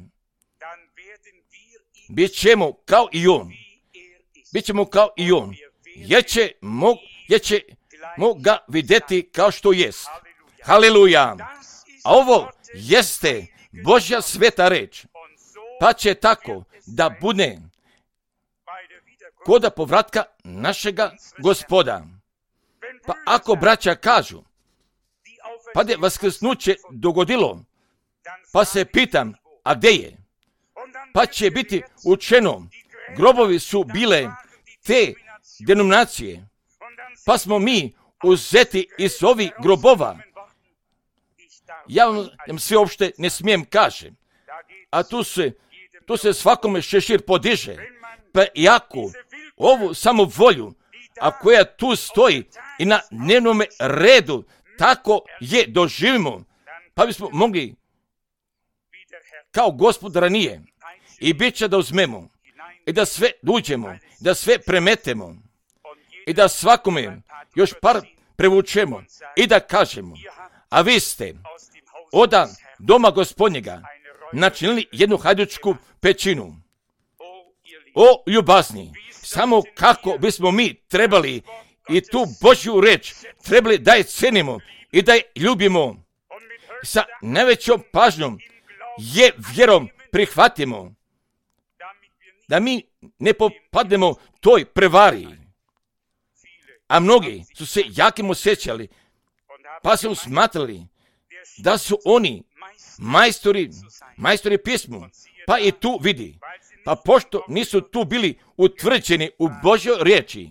bit ćemo kao i on. Bit ćemo kao i on. Jer ćemo, jer ćemo ga vidjeti kao što jest. Haleluja. A ovo jeste Božja sveta reč. pa će tako da bude koda povratka našega Gospoda. Pa ako braća kažu, pa da je vaskrsnuće dogodilo, pa se pitam, a gdje je? Pa će biti učeno, grobovi su bile te denominacije, pa smo mi uzeti iz ovih grobova. Ja vam sve uopšte ne smijem kažem, a tu se, tu se svakome šešir podiže, pa jako ovu samovolju, a koja tu stoji i na dnevnom redu, tako je doživimo, pa bismo mogli kao Gospod ranije i bit će da uzmemo i da sve duđemo, da sve premetemo i da svakome još par prevučemo i da kažemo, a vi ste od doma Gospodnjega načinili jednu hajdučku pećinu. O ljubazni, samo kako bismo mi trebali i tu Božju reč trebali da je cenimo i da je ljubimo, sa najvećom pažnjom je vjerom prihvatimo, da mi ne popadnemo toj prevari. A mnogi su se jakim osjećali, pa su smatrali da su oni majstori, majstori pismu, pa i tu vidi. Pa pošto nisu tu bili utvrđeni u Božjoj riječi,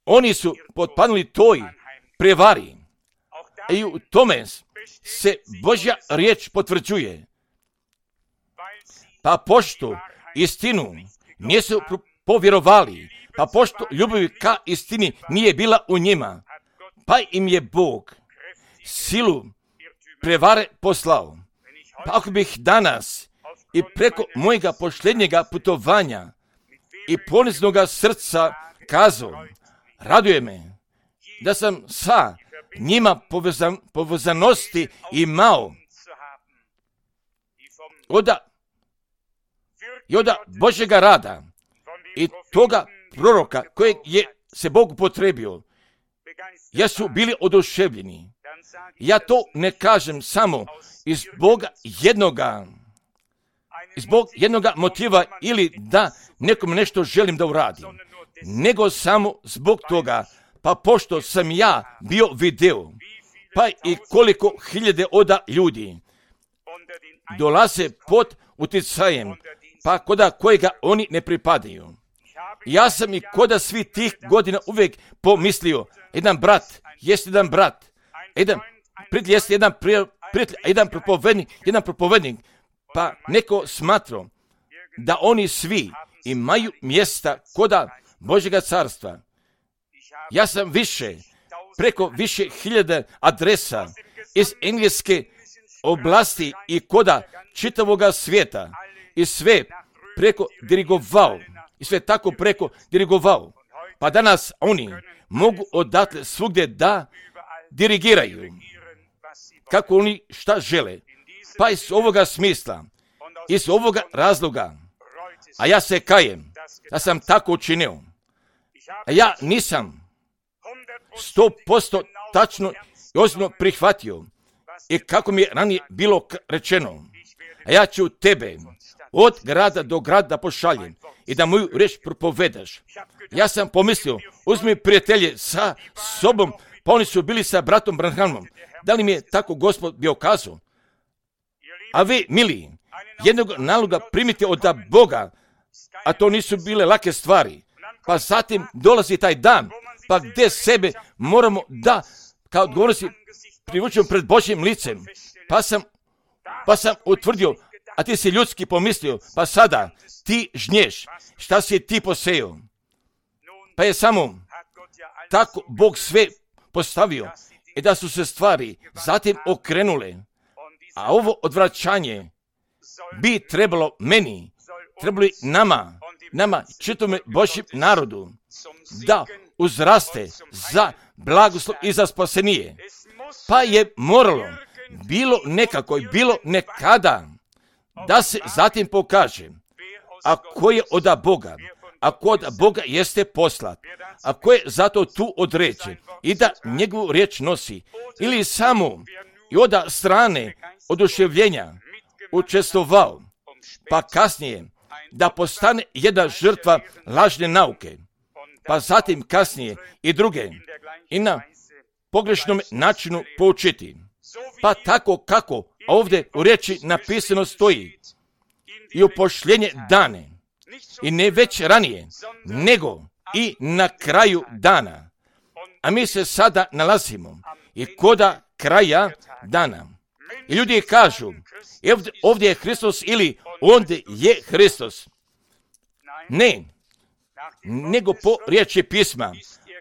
oni su potpadnuli toj prevari. I u tome se Božja riječ potvrđuje. Pa pošto istinu nisu povjerovali, pa pošto ljubav ka istini nije bila u njima, pa im je Bog silu prevare poslao. Pa ako bih danas i preko mojega posljednjega putovanja i poniznoga srca kazao, raduje me da sam sa njima povezan, povezanosti imao oda, i oda Božjega rada i toga proroka kojeg je se Bog upotrebio, ja su bili oduševljeni. Ja to ne kažem samo iz Boga jednoga, iz Bog jednoga motiva ili da nekom nešto želim da uradim, nego samo zbog toga, pa pošto sam ja bio video, pa i koliko hiljade oda ljudi dolaze pod utjecajem, pa koda kojega oni ne pripadaju. Ja sam i koda svi tih godina uvijek pomislio, jedan brat, jest jedan brat, jedan prijatelj, jest jedan prijatelj, jedan propovednik, jedan propovednik, pa neko smatrao da oni svi imaju mjesta koda Božjega carstva. Ja sam više, preko više hiljada adresa iz engleske oblasti i koda čitavoga svijeta i sve preko dirigovao, i sve tako preko dirigovao. Pa danas oni mogu odatle svugdje da dirigiraju kako oni šta žele. Pa iz ovoga smisla, iz ovoga razloga, a ja se kajem da sam tako učinio. A ja nisam sto posto tačno i ozbiljno prihvatio i kako mi je ranije bilo rečeno, a ja ću tebe od grada do grada pošaljem i da moju riječ propovedaš. Ja sam pomislio, uzmi prijatelje sa sobom, pa oni su bili sa bratom Branhamom. Da li mi je tako Gospod bio kazao? A vi, mili, jednog naloga primite od Boga, a to nisu bile lake stvari. Pa zatim dolazi taj dan, pa gdje sebe moramo da, kao odgovornosti, privučemo pred Božjim licem. Pa sam, pa sam utvrdio, a ti si ljudski pomislio, pa sada ti žnješ, šta si ti posejao? Pa je samo tako Bog sve postavio i da su se stvari zatim okrenule. A ovo odvraćanje bi trebalo meni, trebalo i nama, nama čitome Božjem narodu, da uzraste za blagoslov i za spasenije. Pa je moralo, bilo nekako i bilo nekada, da se zatim pokaže, a ko je od Boga, a ko od Boga jeste poslat, a ko je zato tu određen i da njegovu riječ nosi, ili samo i od strane oduševljenja učestvovao pa kasnije da postane jedna žrtva lažne nauke, pa zatim kasnije i druge i na pogrešnom načinu poučiti. Pa tako kako ovdje u riječi napisano stoji i upošljenje dane i ne već ranije, nego i na kraju dana. A mi se sada nalazimo i koda kraja dana. I ljudi kažu, ovdje, ovdje je Hristos ili ondje je Hristos. Ne, nego po riječi pisma,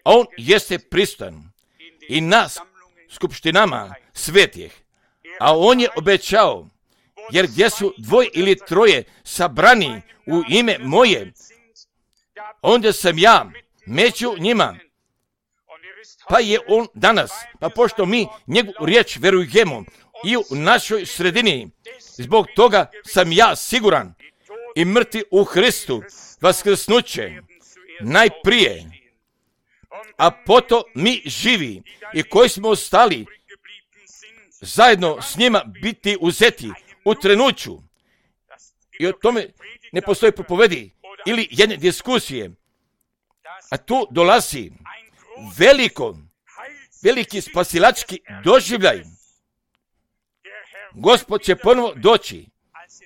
on jeste prisutan i nas skupštinama svetih, a on je obećao, jer gdje su dvoje ili troje sabrani u ime moje, onda sam ja među njima. Pa je on danas, pa pošto mi njegovu riječ verujemo i u našoj sredini, zbog toga sam ja siguran i mrtvi u Hristu vaskrsnuće najprije, a potom mi živi i koji smo ostali zajedno s njima biti uzeti u trenuću. I o tome ne postoji propovedi ili jedne diskusije. A tu dolazi veliko, veliki spasilački doživljaj. Gospod će ponovo doći.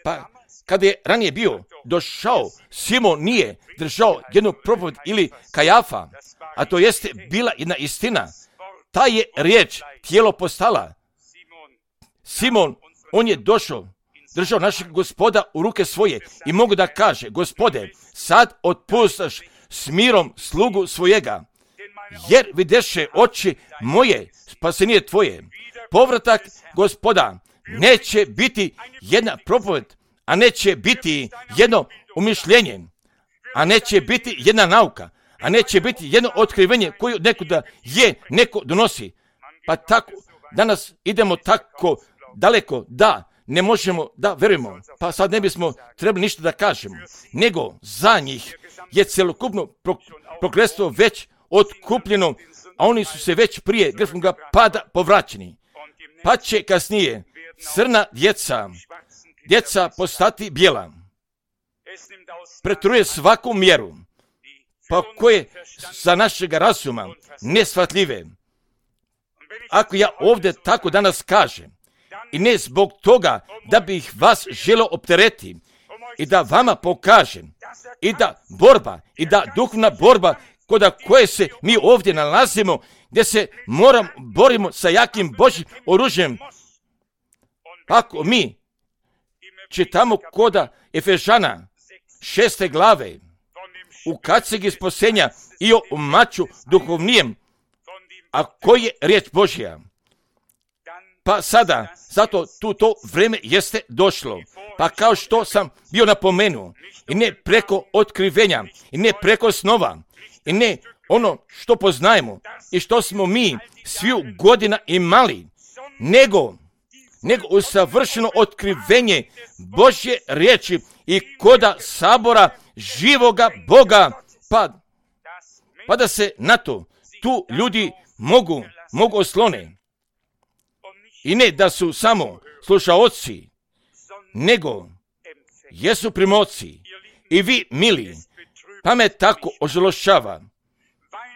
Pa kada je ranije bio došao, Simon nije držao jednu propoved ili Kajafa, a to jeste bila jedna istina. Ta je riječ tijelo postala. Simon, on je došao, držao našeg Gospoda u ruke svoje i mogu da kaže, Gospode, sad otpustaš s mirom slugu svojega, jer videše oči moje, spasenije tvoje. Povratak Gospoda neće biti jedna propoved, a neće biti jedno umišljenje, a neće biti jedna nauka, a neće biti jedno otkrivenje koje nekuda je neko donosi. Pa tako, danas idemo tako daleko da ne možemo da verujemo, pa sad ne bismo trebali ništa da kažemo, nego za njih je celokupno prokletstvo već otkupljeno, a oni su se već prije grfnoga pada povraćeni. Pa će kasnije crna djeca, djeca postati bijela. Pretruje svaku mjeru, pa koje za našega razuma neshvatljive. Ako ja ovdje tako danas kažem, i ne zbog toga da bih vas želio optereti i da vama pokažem i da borba i da duhovna borba kod koje se mi ovdje nalazimo, gdje se moram borimo sa jakim Božjim oružjem. Ako mi čitamo koda Efežana šeste glave u kacigi spasenja i o maču duhovnijem, a koji je riječ Božja. Pa sada, zato tu to vrijeme jeste došlo. Pa kao što sam bio napomenuo, i ne preko otkrivenja, i ne preko snova, i ne ono što poznajemo i što smo mi sviju godina imali, nego, nego usavršeno otkrivenje Božje riječi i koda sabora živoga Boga, pa, pa da se na to tu ljudi mogu, mogu oslone. I ne da su samo slušaoci, nego jesu primoci. I vi, mili, pa me tako ožalošava.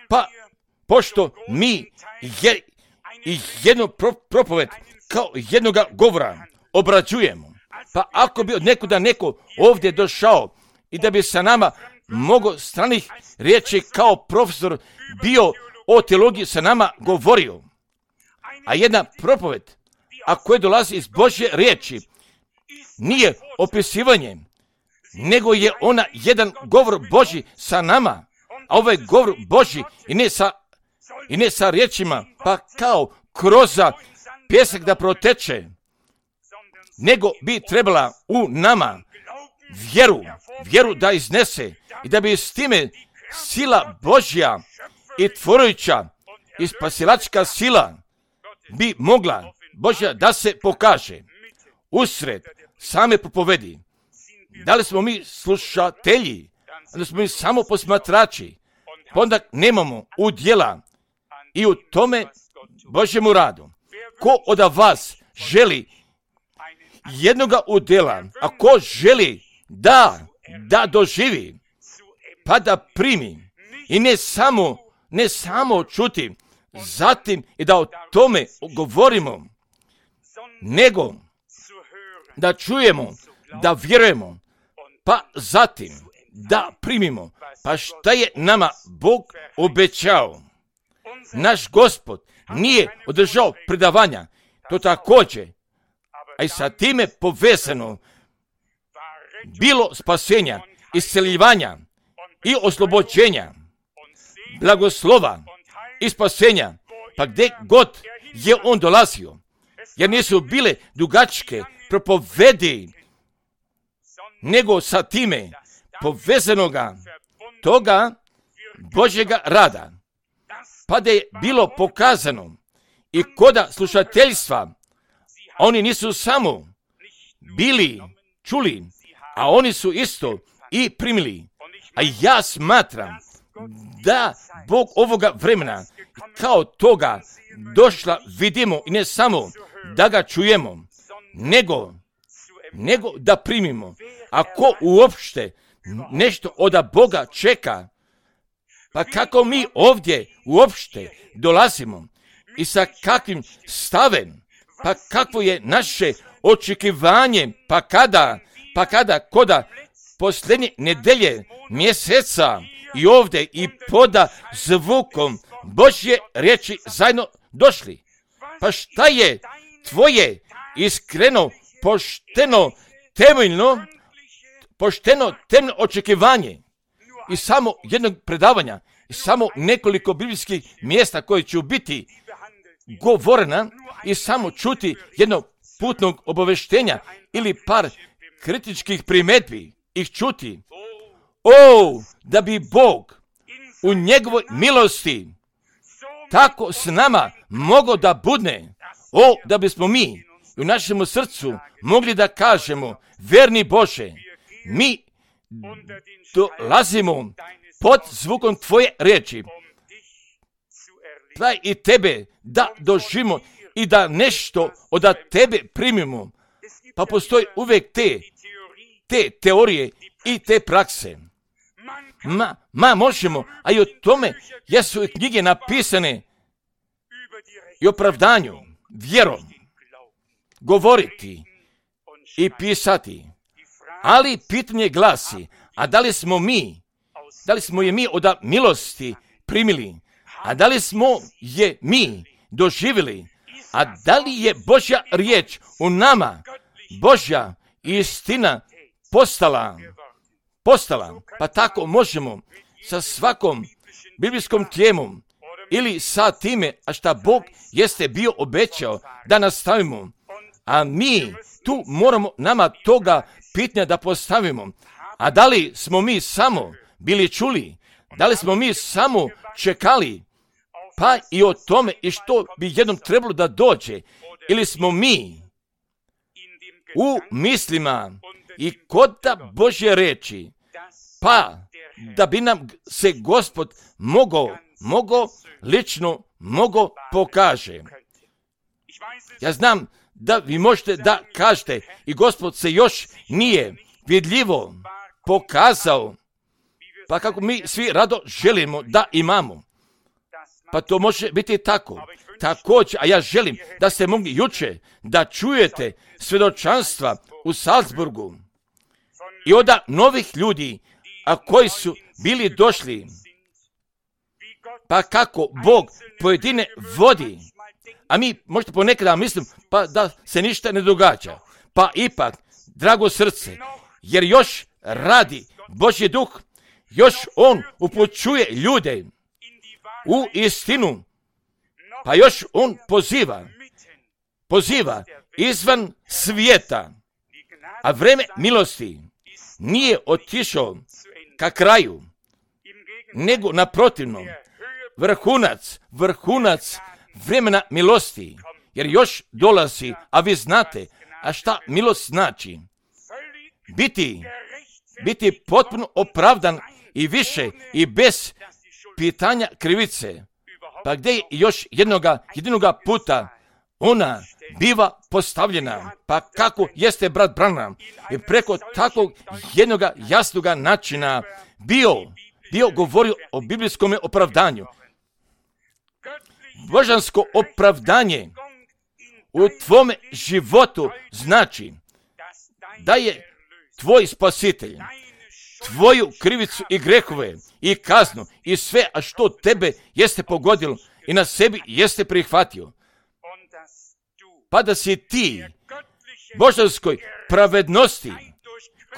Pa, pošto mi je, jednu pro, propoved kao jednoga govora obrađujemo, pa ako bi od nekuda neko ovdje došao i da bi sa nama mnogo stranih riječi kao profesor bio o teologiji sa nama govorio, a jedna propoved, a koja dolazi iz Božje riječi, nije opisivanje, nego je ona jedan govor Božji sa nama, a ovaj govor Božji i ne sa, i ne sa riječima, pa kao kroz pjesak da proteče, nego bi trebala u nama vjeru, vjeru da iznese i da bi s time sila Božja i tvorujuća i spasilačka sila bi mogla Božja da se pokaže usred same propovedi. Da li smo mi slušatelji, da smo mi samo posmatrači, pa onda nemamo udjela i u tome Božjemu radu. Ko od vas želi jednoga udjela, a ko želi da, da doživi, pa da primi i ne samo, ne samo čuti, zatim i da o tome govorimo, nego da čujemo, da vjerujemo, pa zatim da primimo. Pa šta je nama Bog obećao? Naš Gospod nije održao predavanja, to također, a i sa time povezano bilo spasenja, isceljivanja i oslobođenja, blagoslova i spasenja, pa gdje god je on dolazio, jer nisu bile dugačke propovedi, nego sa time povezanoga toga Božjega rada, pa da je bilo pokazano i koda slušateljstva, oni nisu samo bili čuli, a oni su isto i primili. A ja smatram da Bog ovoga vremena kao toga došla vidimo i ne samo da ga čujemo, nego, nego da primimo. Ako uopšte nešto od Boga čeka, pa kako mi ovdje uopšte dolazimo i sa kakvim stavem, pa kakvo je naše očekivanje, pa kada, pa kada koda posljednje nedelje mjeseca i ovdje i poda zvukom Božje riječi zajedno došli. Pa šta je tvoje iskreno, pošteno, temeljno, pošteno, temeljno očekivanje i samo jednog predavanja i samo nekoliko biblijskih mjesta koje će biti govorena i samo čuti jednog putnog obaveštenja ili par kritičkih primjedbi ih čuti. O, da bi Bog u njegovoj milosti tako s nama mogao da budne. O, da bismo mi u našem srcu mogli da kažemo, verni Bože, mi dolazimo pod zvukom tvoje riječi, daj i tebe da doživimo i da nešto od tebe primimo. Pa postoji uvijek te, te teorije i te prakse. Ma, ma možemo, a i o tome jesu i knjige napisane i opravdanju, vjerom, govoriti i pisati. Ali pitanje glasi, a da li smo mi, da li smo je mi od milosti primili, a da li smo je mi doživjeli, a da li je Božja riječ u nama, Božja istina postala, postala, pa tako možemo sa svakom biblijskom temom ili sa time, a šta Bog jeste bio obećao da nastavimo, a mi tu moramo nama toga pitanja da postavimo. A da li smo mi samo bili čuli, da li smo mi samo čekali, pa i o tome i što bi jednom trebalo da dođe, ili smo mi u mislima i kod Božje reči, pa da bi nam se Gospod mogao, mogao lično, mogao pokaže. Ja znam da vi možete da kažete i Gospod se još nije vidljivo pokazao, pa kako mi svi rado želimo da imamo. Pa to može biti tako. Također, a ja želim da ste mogli juče da čujete svjedočanstva u Salzburgu i od novih ljudi, a koji su bili došli, pa kako Bog pojedine vodi, a mi možete ponekada mislim pa da se ništa ne događa. Pa ipak, drago srce, jer još radi Božji duh, još on upućuje ljude u istinu, pa još on poziva, poziva izvan svijeta, a vreme milosti nije otišao ka kraju, nego naprotivno, vrhunac, vrhunac vremena milosti, jer još dolazi, a vi znate, a šta milost znači? Biti, biti potpuno opravdan i više i bez pitanja krivice. Pa gdje je još jednoga, jednoga puta ona biva postavljena. Pa kako jeste brat Branham i preko takvog jednog jasnog načina bio, bio govorio o biblijskom opravdanju. Božansko opravdanje u tvome životu znači da je tvoj spasitelj tvoju krivicu i grehove i kaznu i sve, a što tebe jeste pogodilo i na sebi jeste prihvatio. Pa da si ti božanskoj pravednosti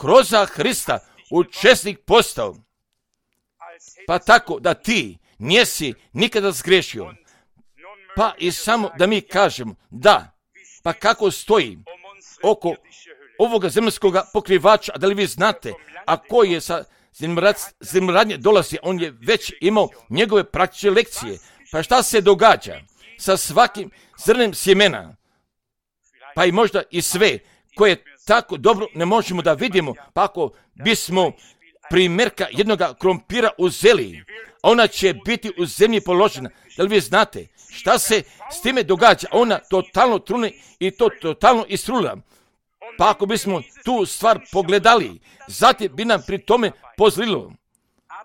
kroz Hrista učesnik postao. Pa tako da ti nisi nikada zgrešio. Pa i samo da mi kažemo da, pa kako stoji oko ovoga zemaljskog pokrivača, da li vi znate, a koji je sa zemljoradnje dolazi, on je već imao njegove praktične lekcije. Pa šta se događa sa svakim zrnem sjemena? Pa i možda i sve koje tako dobro ne možemo da vidimo, pa ako bismo primjerka jednoga krompira uzeli, ona će biti u zemlji položena. Da li vi znate šta se s time događa? Ona totalno trune i to totalno istrula. Pa ako bismo tu stvar pogledali, zatim bi nam pri tome pozlilo.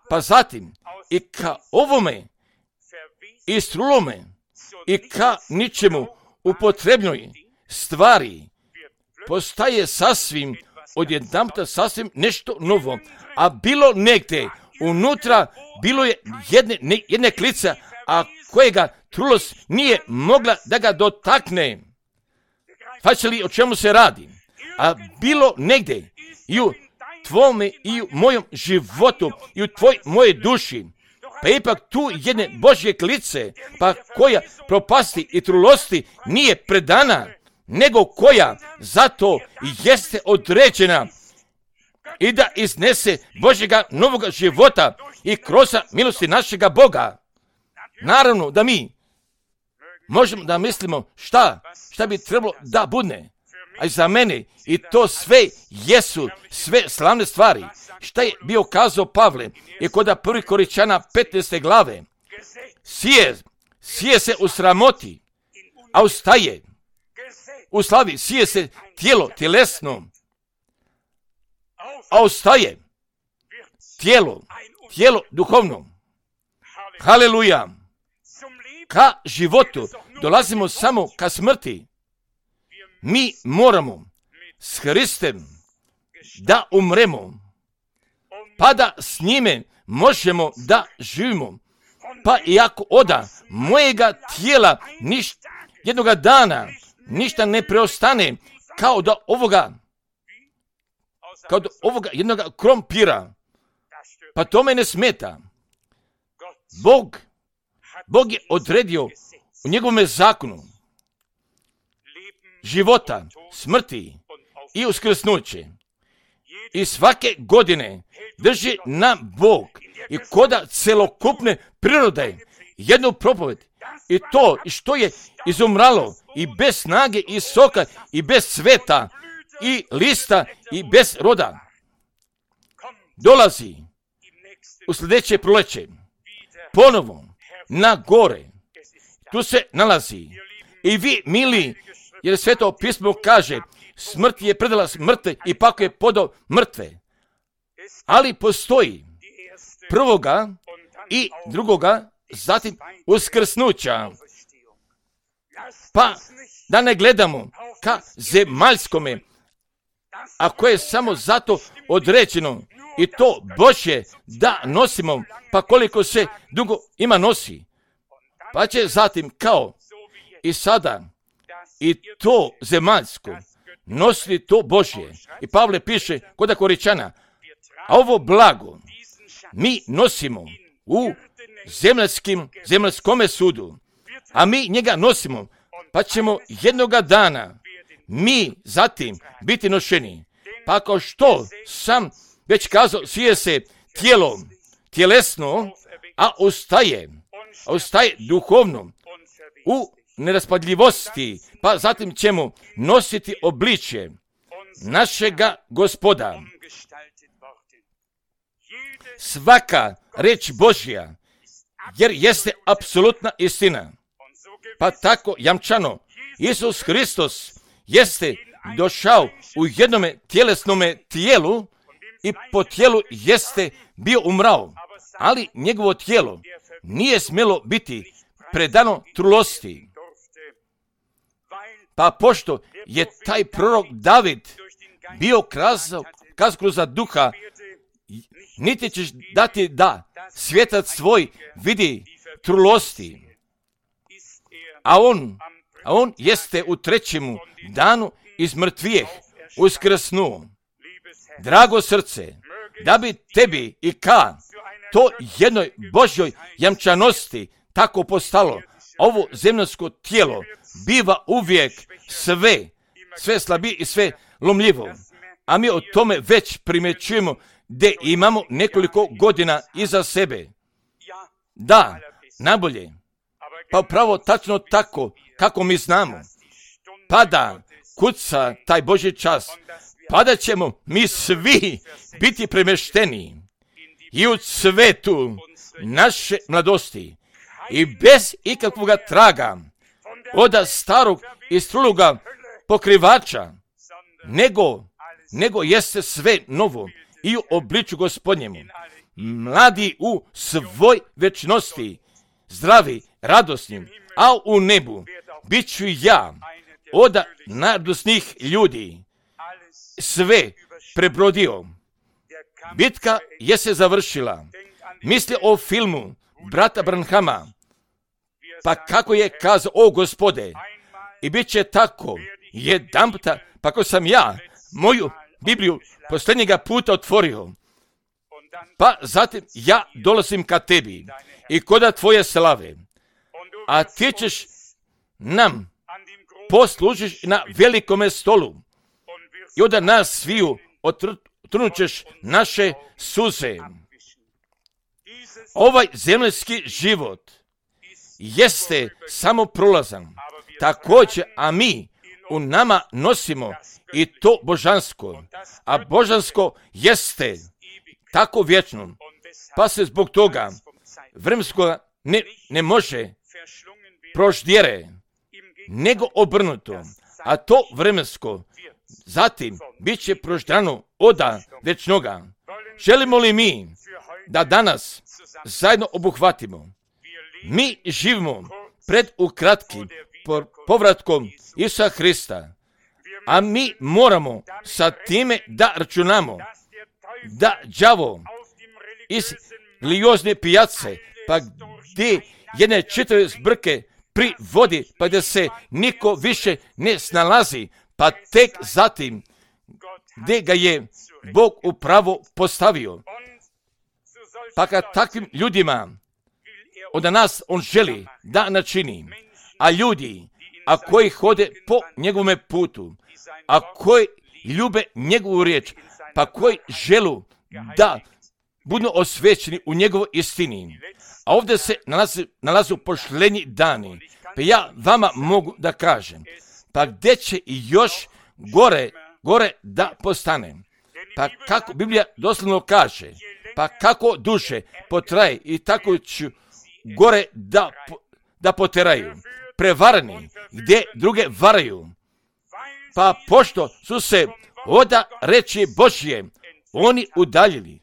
Pa zatim i ka ovome istrulome i ka ničemu upotrebnoj stvari postaje sasvim odjedanputa sasvim nešto novo. A bilo negdje unutra bilo je jedne, ne, jedne klica, a kojega trulost nije mogla da ga dotakne. Znači li o čemu se radi? A bilo negdje i u tvome i u mojom životu i u tvoj moje duši, pa ipak tu jedne Božje klice, pa koja propasti i trulosti nije predana, nego koja zato jeste određena i da iznese Božjega novoga života i kroz milosti našega Boga. Naravno da mi možemo da mislimo šta, šta bi trebalo da bude. A za mene i to sve jesu sve slavne stvari. Šta je bio kazao Pavle i kod prvi Koričana petnaeste glave. Sije, sije se u sramoti, a ustaje. U slavi sije se tijelo, tjelesno, a ustaje tijelo, tijelo duhovno. Haleluja! Ka životu dolazimo samo ka smrti. Mi moramo s Hristem da umremo, pa da s njime možemo da živimo. Pa i ako oda mojega tijela niš, jednoga dana ništa ne preostane kao da ovoga, kao da ovoga jednoga krompira, pa to me ne smeta. Bog, Bog je odredio u njegovome zakonu života, smrti i uskrsnuće. I svake godine drži nam Bog i koda celokupne prirode jednu propoved. I to što je izumralo i bez snage i soka i bez cveta i lista i bez roda dolazi u sljedeće proleće ponovo na gore. Tu se nalazi. I vi, mili, jer Sveto pismo kaže, smrt je predala mrtve i pak je podao mrtve. Ali postoji prvoga i drugoga, zatim uskrsnuća. Pa da ne gledamo ka zemaljskome, a koje je samo zato određeno i to Božje da nosimo, pa koliko se dugo ima nosi. Pa će zatim kao i sada i to zemaljsko nositi to Božje. I Pavle piše kod Koričana, a ovo blago mi nosimo u zemaljskim, zemaljskome sudu, a mi njega nosimo, pa ćemo jednoga dana mi zatim biti nošeni. Pa kao što sam već kazao, sije se tijelo, tjelesno, a ustaje, a ustaje duhovno u neraspadljivosti, pa zatim ćemo nositi obličje našega Gospoda. Svaka reč Božja, jer jeste apsolutna istina, pa tako jamčano Isus Hristos jeste došao u jednome tjelesnome tijelu i po tijelu jeste bio umrao, ali njegovo tijelo nije smjelo biti predano trulosti. Pa pošto je taj prorok David bio kazao kroz duha, niti ćeš dati da svjetac svoj vidi trulosti, a on, a on jeste u trećemu danu iz mrtvijeh uskrsnuo. Drago srce, da bi tebi i ka to jednoj Božjoj jamčanosti tako postalo, ovo zemljsko tijelo biva uvijek sve, sve slabije i sve lomljivo. A mi o tome već primjećujemo da imamo nekoliko godina iza sebe. Da, najbolje, pa upravo tačno tako kako mi znamo. Pa da kuca taj Božji čas, pa da ćemo mi svi biti premješteni i u cvetu naše mladosti i bez ikakvog traga od starog i struloga pokrivača, nego, nego jeste sve novo i u obliču Gospodnjemu. Mladi u svoj večnosti, zdravi, radosni, a u nebu bit ću ja od najradosnijih ljudi sve prebrodio. Bitka je se završila. Misli o filmu brata Branhama, pa kako je kazao, o Gospode, i bit će tako jedanputa, pa ko sam ja moju Bibliju posljednjega puta otvorio, pa zatim ja dolazim ka tebi i koda tvoje slave, a ti ćeš nam poslužiš na velikome stolu i onda nas sviju otrnućeš naše suze. Ovaj zemljski život jeste samo prolazan, također, a mi u nama nosimo i to božansko, a božansko jeste tako vječno, pa se zbog toga vremensko ne, ne može proždjere, nego obrnuto, a to vremensko zatim bit će proždrano oda večnoga. Želimo li mi da danas zajedno obuhvatimo? Mi živimo pred ukratkim povratkom Isusa Hrista, a mi moramo sa time da računamo da đavo iz religiozne pijace, pa gdje jedne čitave zbrke privodi, pa gdje se niko više ne snalazi, pa tek zatim gdje ga je Bog upravo postavio. Pa kad takvim ljudima od nas on želi da načini, a ljudi, a koji hode po njegovome putu, a koji ljube njegovu riječ, pa koji želu da budu osvećeni u njegovoj istini. A ovdje se nalazi, nalazu pošlenji dani, pa ja vama mogu da kažem, pa gdje će i još gore, gore da postane. Pa kako Biblija doslovno kaže, pa kako duše potraje i tako ću gore da, da poteraju. Prevarani, gdje druge varaju. Pa pošto su se oda reči Božje oni udaljili,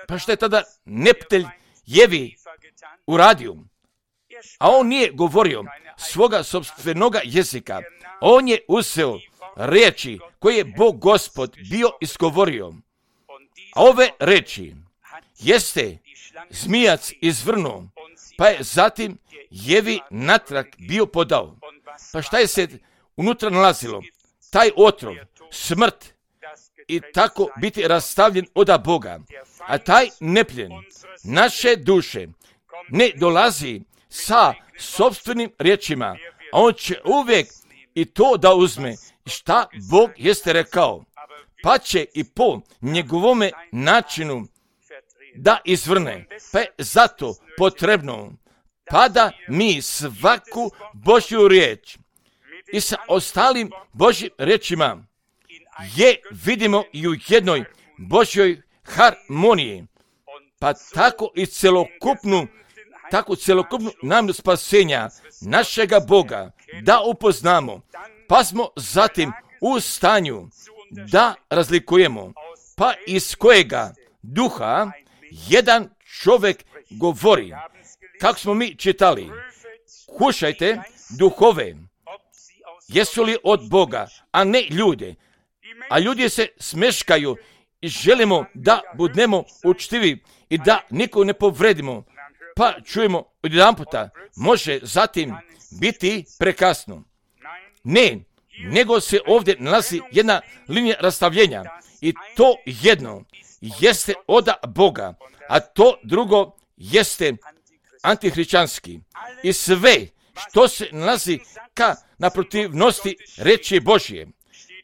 pa što je tada neptelj Jevi uradio? A on nije govorio svoga sopstvenoga jezika. On je uzeo riječi koje je Bog Gospod bio izgovorio. A ove riječi jeste zmijac izvrnuo, pa je zatim Jevi natrag bio podao. Pa šta je se unutra nalazilo? Taj otrov, smrt i tako biti rastavljen oda Boga. A taj nepljen naše duše ne dolazi sa sopstvenim riječima, a on će uvijek i to da uzme šta Bog jeste rekao, pa će i po njegovome načinu da izvrne. Pa je zato potrebno pa da mi svaku Božju riječ i sa ostalim Božjim riječima je vidimo i u jednoj Božjoj harmoniji, pa tako i celokupnu tako cjelokupnu namjeru spasenja našega Boga da upoznamo, pa smo zatim u stanju da razlikujemo, pa iz kojega duha jedan čovjek govori. Kako smo mi čitali, kušajte duhove, jesu li od Boga, a ne ljude. A ljudi se smeškaju i želimo da budemo učtivi i da nikoga ne povredimo, pa čujemo odjedanputa, može zatim biti prekasno. Ne, nego se ovdje nalazi jedna linija rastavljenja i to jedno jeste od Boga, a to drugo jeste antihrišćanski. I sve što se nalazi ka naprotivnosti reči Božje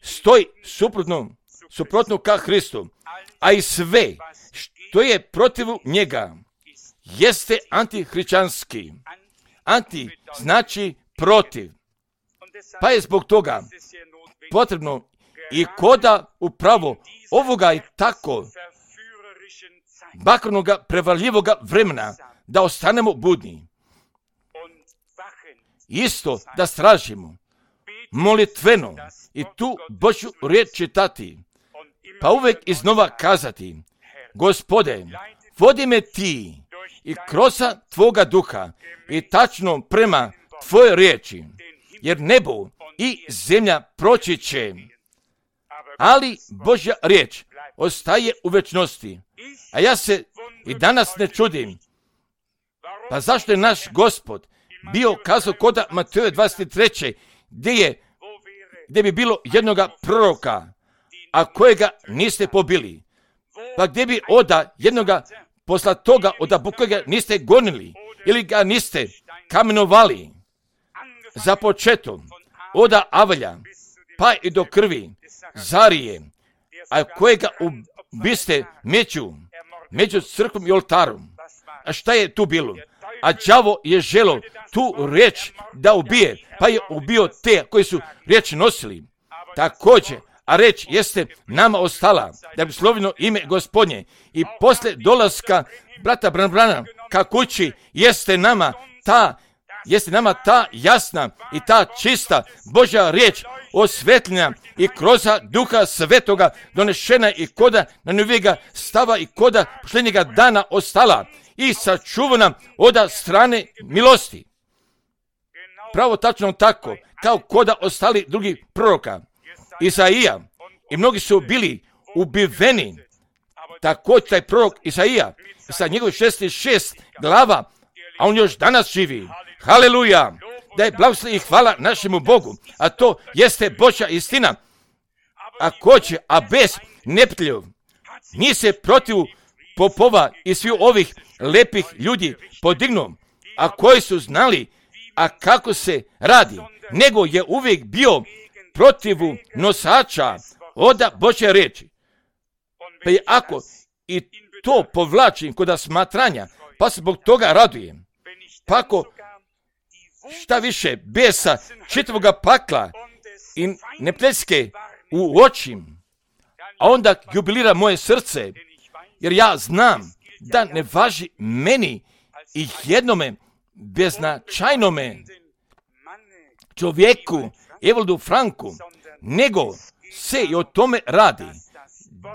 stoji suprotno, suprotno ka Hristu, a i sve što je protiv njega jeste antihrišćanski. Anti znači protiv. Pa je zbog toga potrebno i koda upravo ovoga i tako bakrnoga, prevarljivoga vremena da ostanemo budni. Isto da stražimo molitveno i tu Božju riječ čitati, pa uvijek iznova kazati, Gospode, vodi me ti i kroz tvoga duha i tačno prema tvoje riječi, jer nebo i zemlja proći će, ali Božja riječ ostaje u večnosti. A ja se i danas ne čudim, pa zašto je naš Gospod bio kazao koda Mateja dvadeset treće gdje je, gdje bi bilo jednoga proroka, a kojega niste pobili, pa gdje bi oda jednoga posla toga oda kojega niste gonili ili ga niste kamenovali, za početom oda Avelja pa i do krvi Zarije, a kojega ubiste među, među crkvom i oltarom. A šta je tu bilo? A đavo je želo tu riječ da ubije, pa je ubio te koji su riječ nosili. Također, a riječ jeste nama ostala, da bi slovino ime Gospodnje. I poslije dolaska brata Branbrana ka kući jeste nama ta, jeste nama ta jasna i ta čista Božja riječ osvetljena i kroz Duha Svetoga donešena i koda na novijega stava i koda posljednjega dana ostala i sačuvana od strane milosti. Pravo tačno tako, kao koda ostali drugi proroka. Isaija i mnogi su bili ubiveni. Također taj prorok Isaija sa njegovih šezdeset šest glava, a on još danas živi. Haleluja! Da je blagoslov i hvala našemu Bogu, a to jeste Božja istina. A ko će, a bez neprijatelja, nije se protiv popova i svih ovih lepih ljudi podignuo, a koji su znali, a kako se radi, nego je uvijek bio protiv nosača od Božje riječi. Pa je ako i to povlačim kod smatranja, pa se zbog toga radujem. Pa ako šta više besa čitavoga pakla i neprijateljske u očim, a onda jubilira moje srce, jer ja znam da ne važi meni i jednome beznačajnome čovjeku, Evaldu Franku, nego se i o tome radi,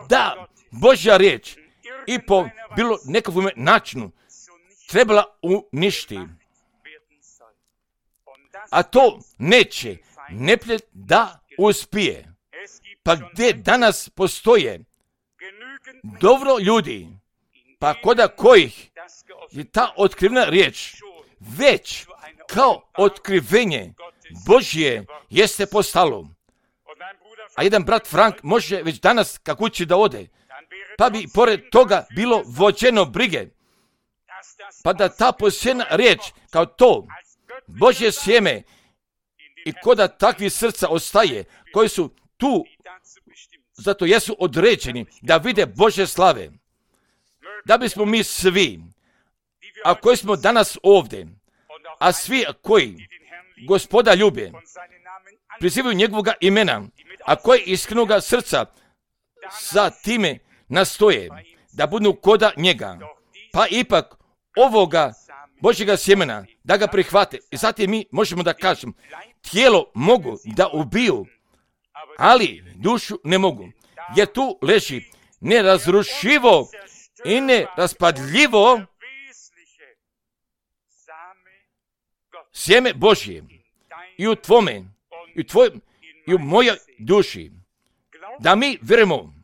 da Božja riječ i po bilo nekakvom načinu trebala uništi. A to neće neprijatelj da uspije. Pa gdje danas postoje dobro ljudi, pa koda kojih je ta otkrivena riječ već kao otkrivenje Božje jeste postalo. A jedan brat Frank može već danas ka kući da ode, pa bi pored toga bilo vođeno brige, pa da ta posjena riječ kao to Božje sjeme i koda takvi srca ostaje, koji su tu, zato jesu određeni da vide Božje slave. Da bismo mi svi, a koji smo danas ovdje, a svi koji Gospoda ljube, prizivaju njegovoga imena, a koji iskrenoga srca sa time nastoje da budu koda njega, pa ipak ovoga Božjega sjemena, da ga prihvate. I zatim mi možemo da kažemo, tijelo mogu da ubiju, ali dušu ne mogu. Jer tu leži nerazrušivo i neraspadljivo sjeme Božje i u tvome, i u tvojom, i u mojoj duši. Da mi vjerujemo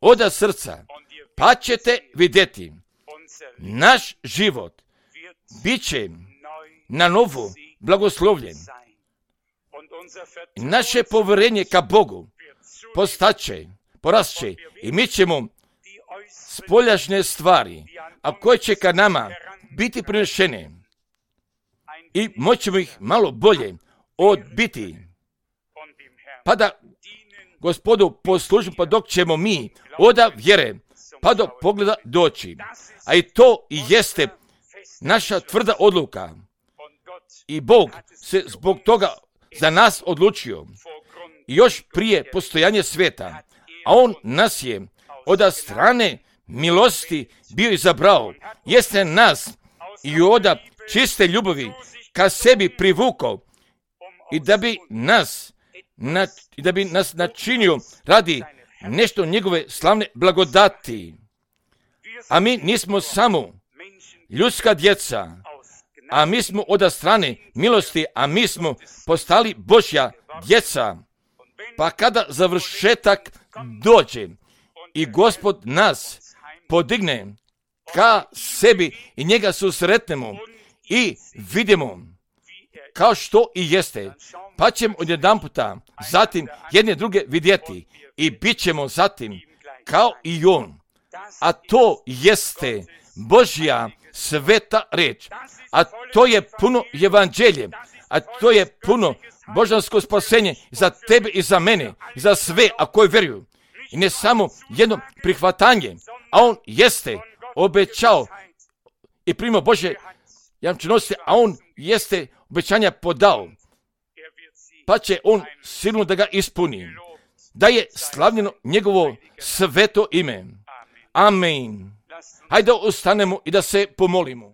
od srca, pa ćete vidjeti, naš život bit će na novo blagoslovljen. Naše povjerenje ka Bogu postaće, porasće i mi ćemo spoljašnje stvari, a koje će ka nama biti prinešene i moćemo ih malo bolje odbiti. Pa da Gospodu poslužimo, pa dok ćemo mi oda vjere, pa do pogleda doći. A i to i jeste naša tvrda odluka. I Bog se zbog toga za nas odlučio. I još prije postojanja svijeta. A On nas je od strane milosti bio izabrao. Jeste nas i od čiste ljubavi ka sebi privukao. I da bi nas Na, da bi nas načinio radi nešto njegove slavne blagodati. A mi nismo samo ljudska djeca, a mi smo od strane milosti, a mi smo postali Božja djeca. Pa kada završetak dođe i Gospod nas podigne ka sebi i njega susretnemo i vidimo kao što i jeste, pa ćemo odjedanputa zatim jedne druge vidjeti i bit ćemo zatim kao i On. A to jeste Božja sveta reč, a to je puno evanđelje, a to je puno božansko spasenje za tebe i za mene, i za sve, a koji vjeruju. I ne samo jedno prihvatanje, a On jeste obećao i primao Božje jamčenosti, a On jeste obećanja podao, pa će On sigurno da ga ispuni. Da je slavljeno njegovo sveto ime. Amen. Hajde ustanemo i da se pomolimo.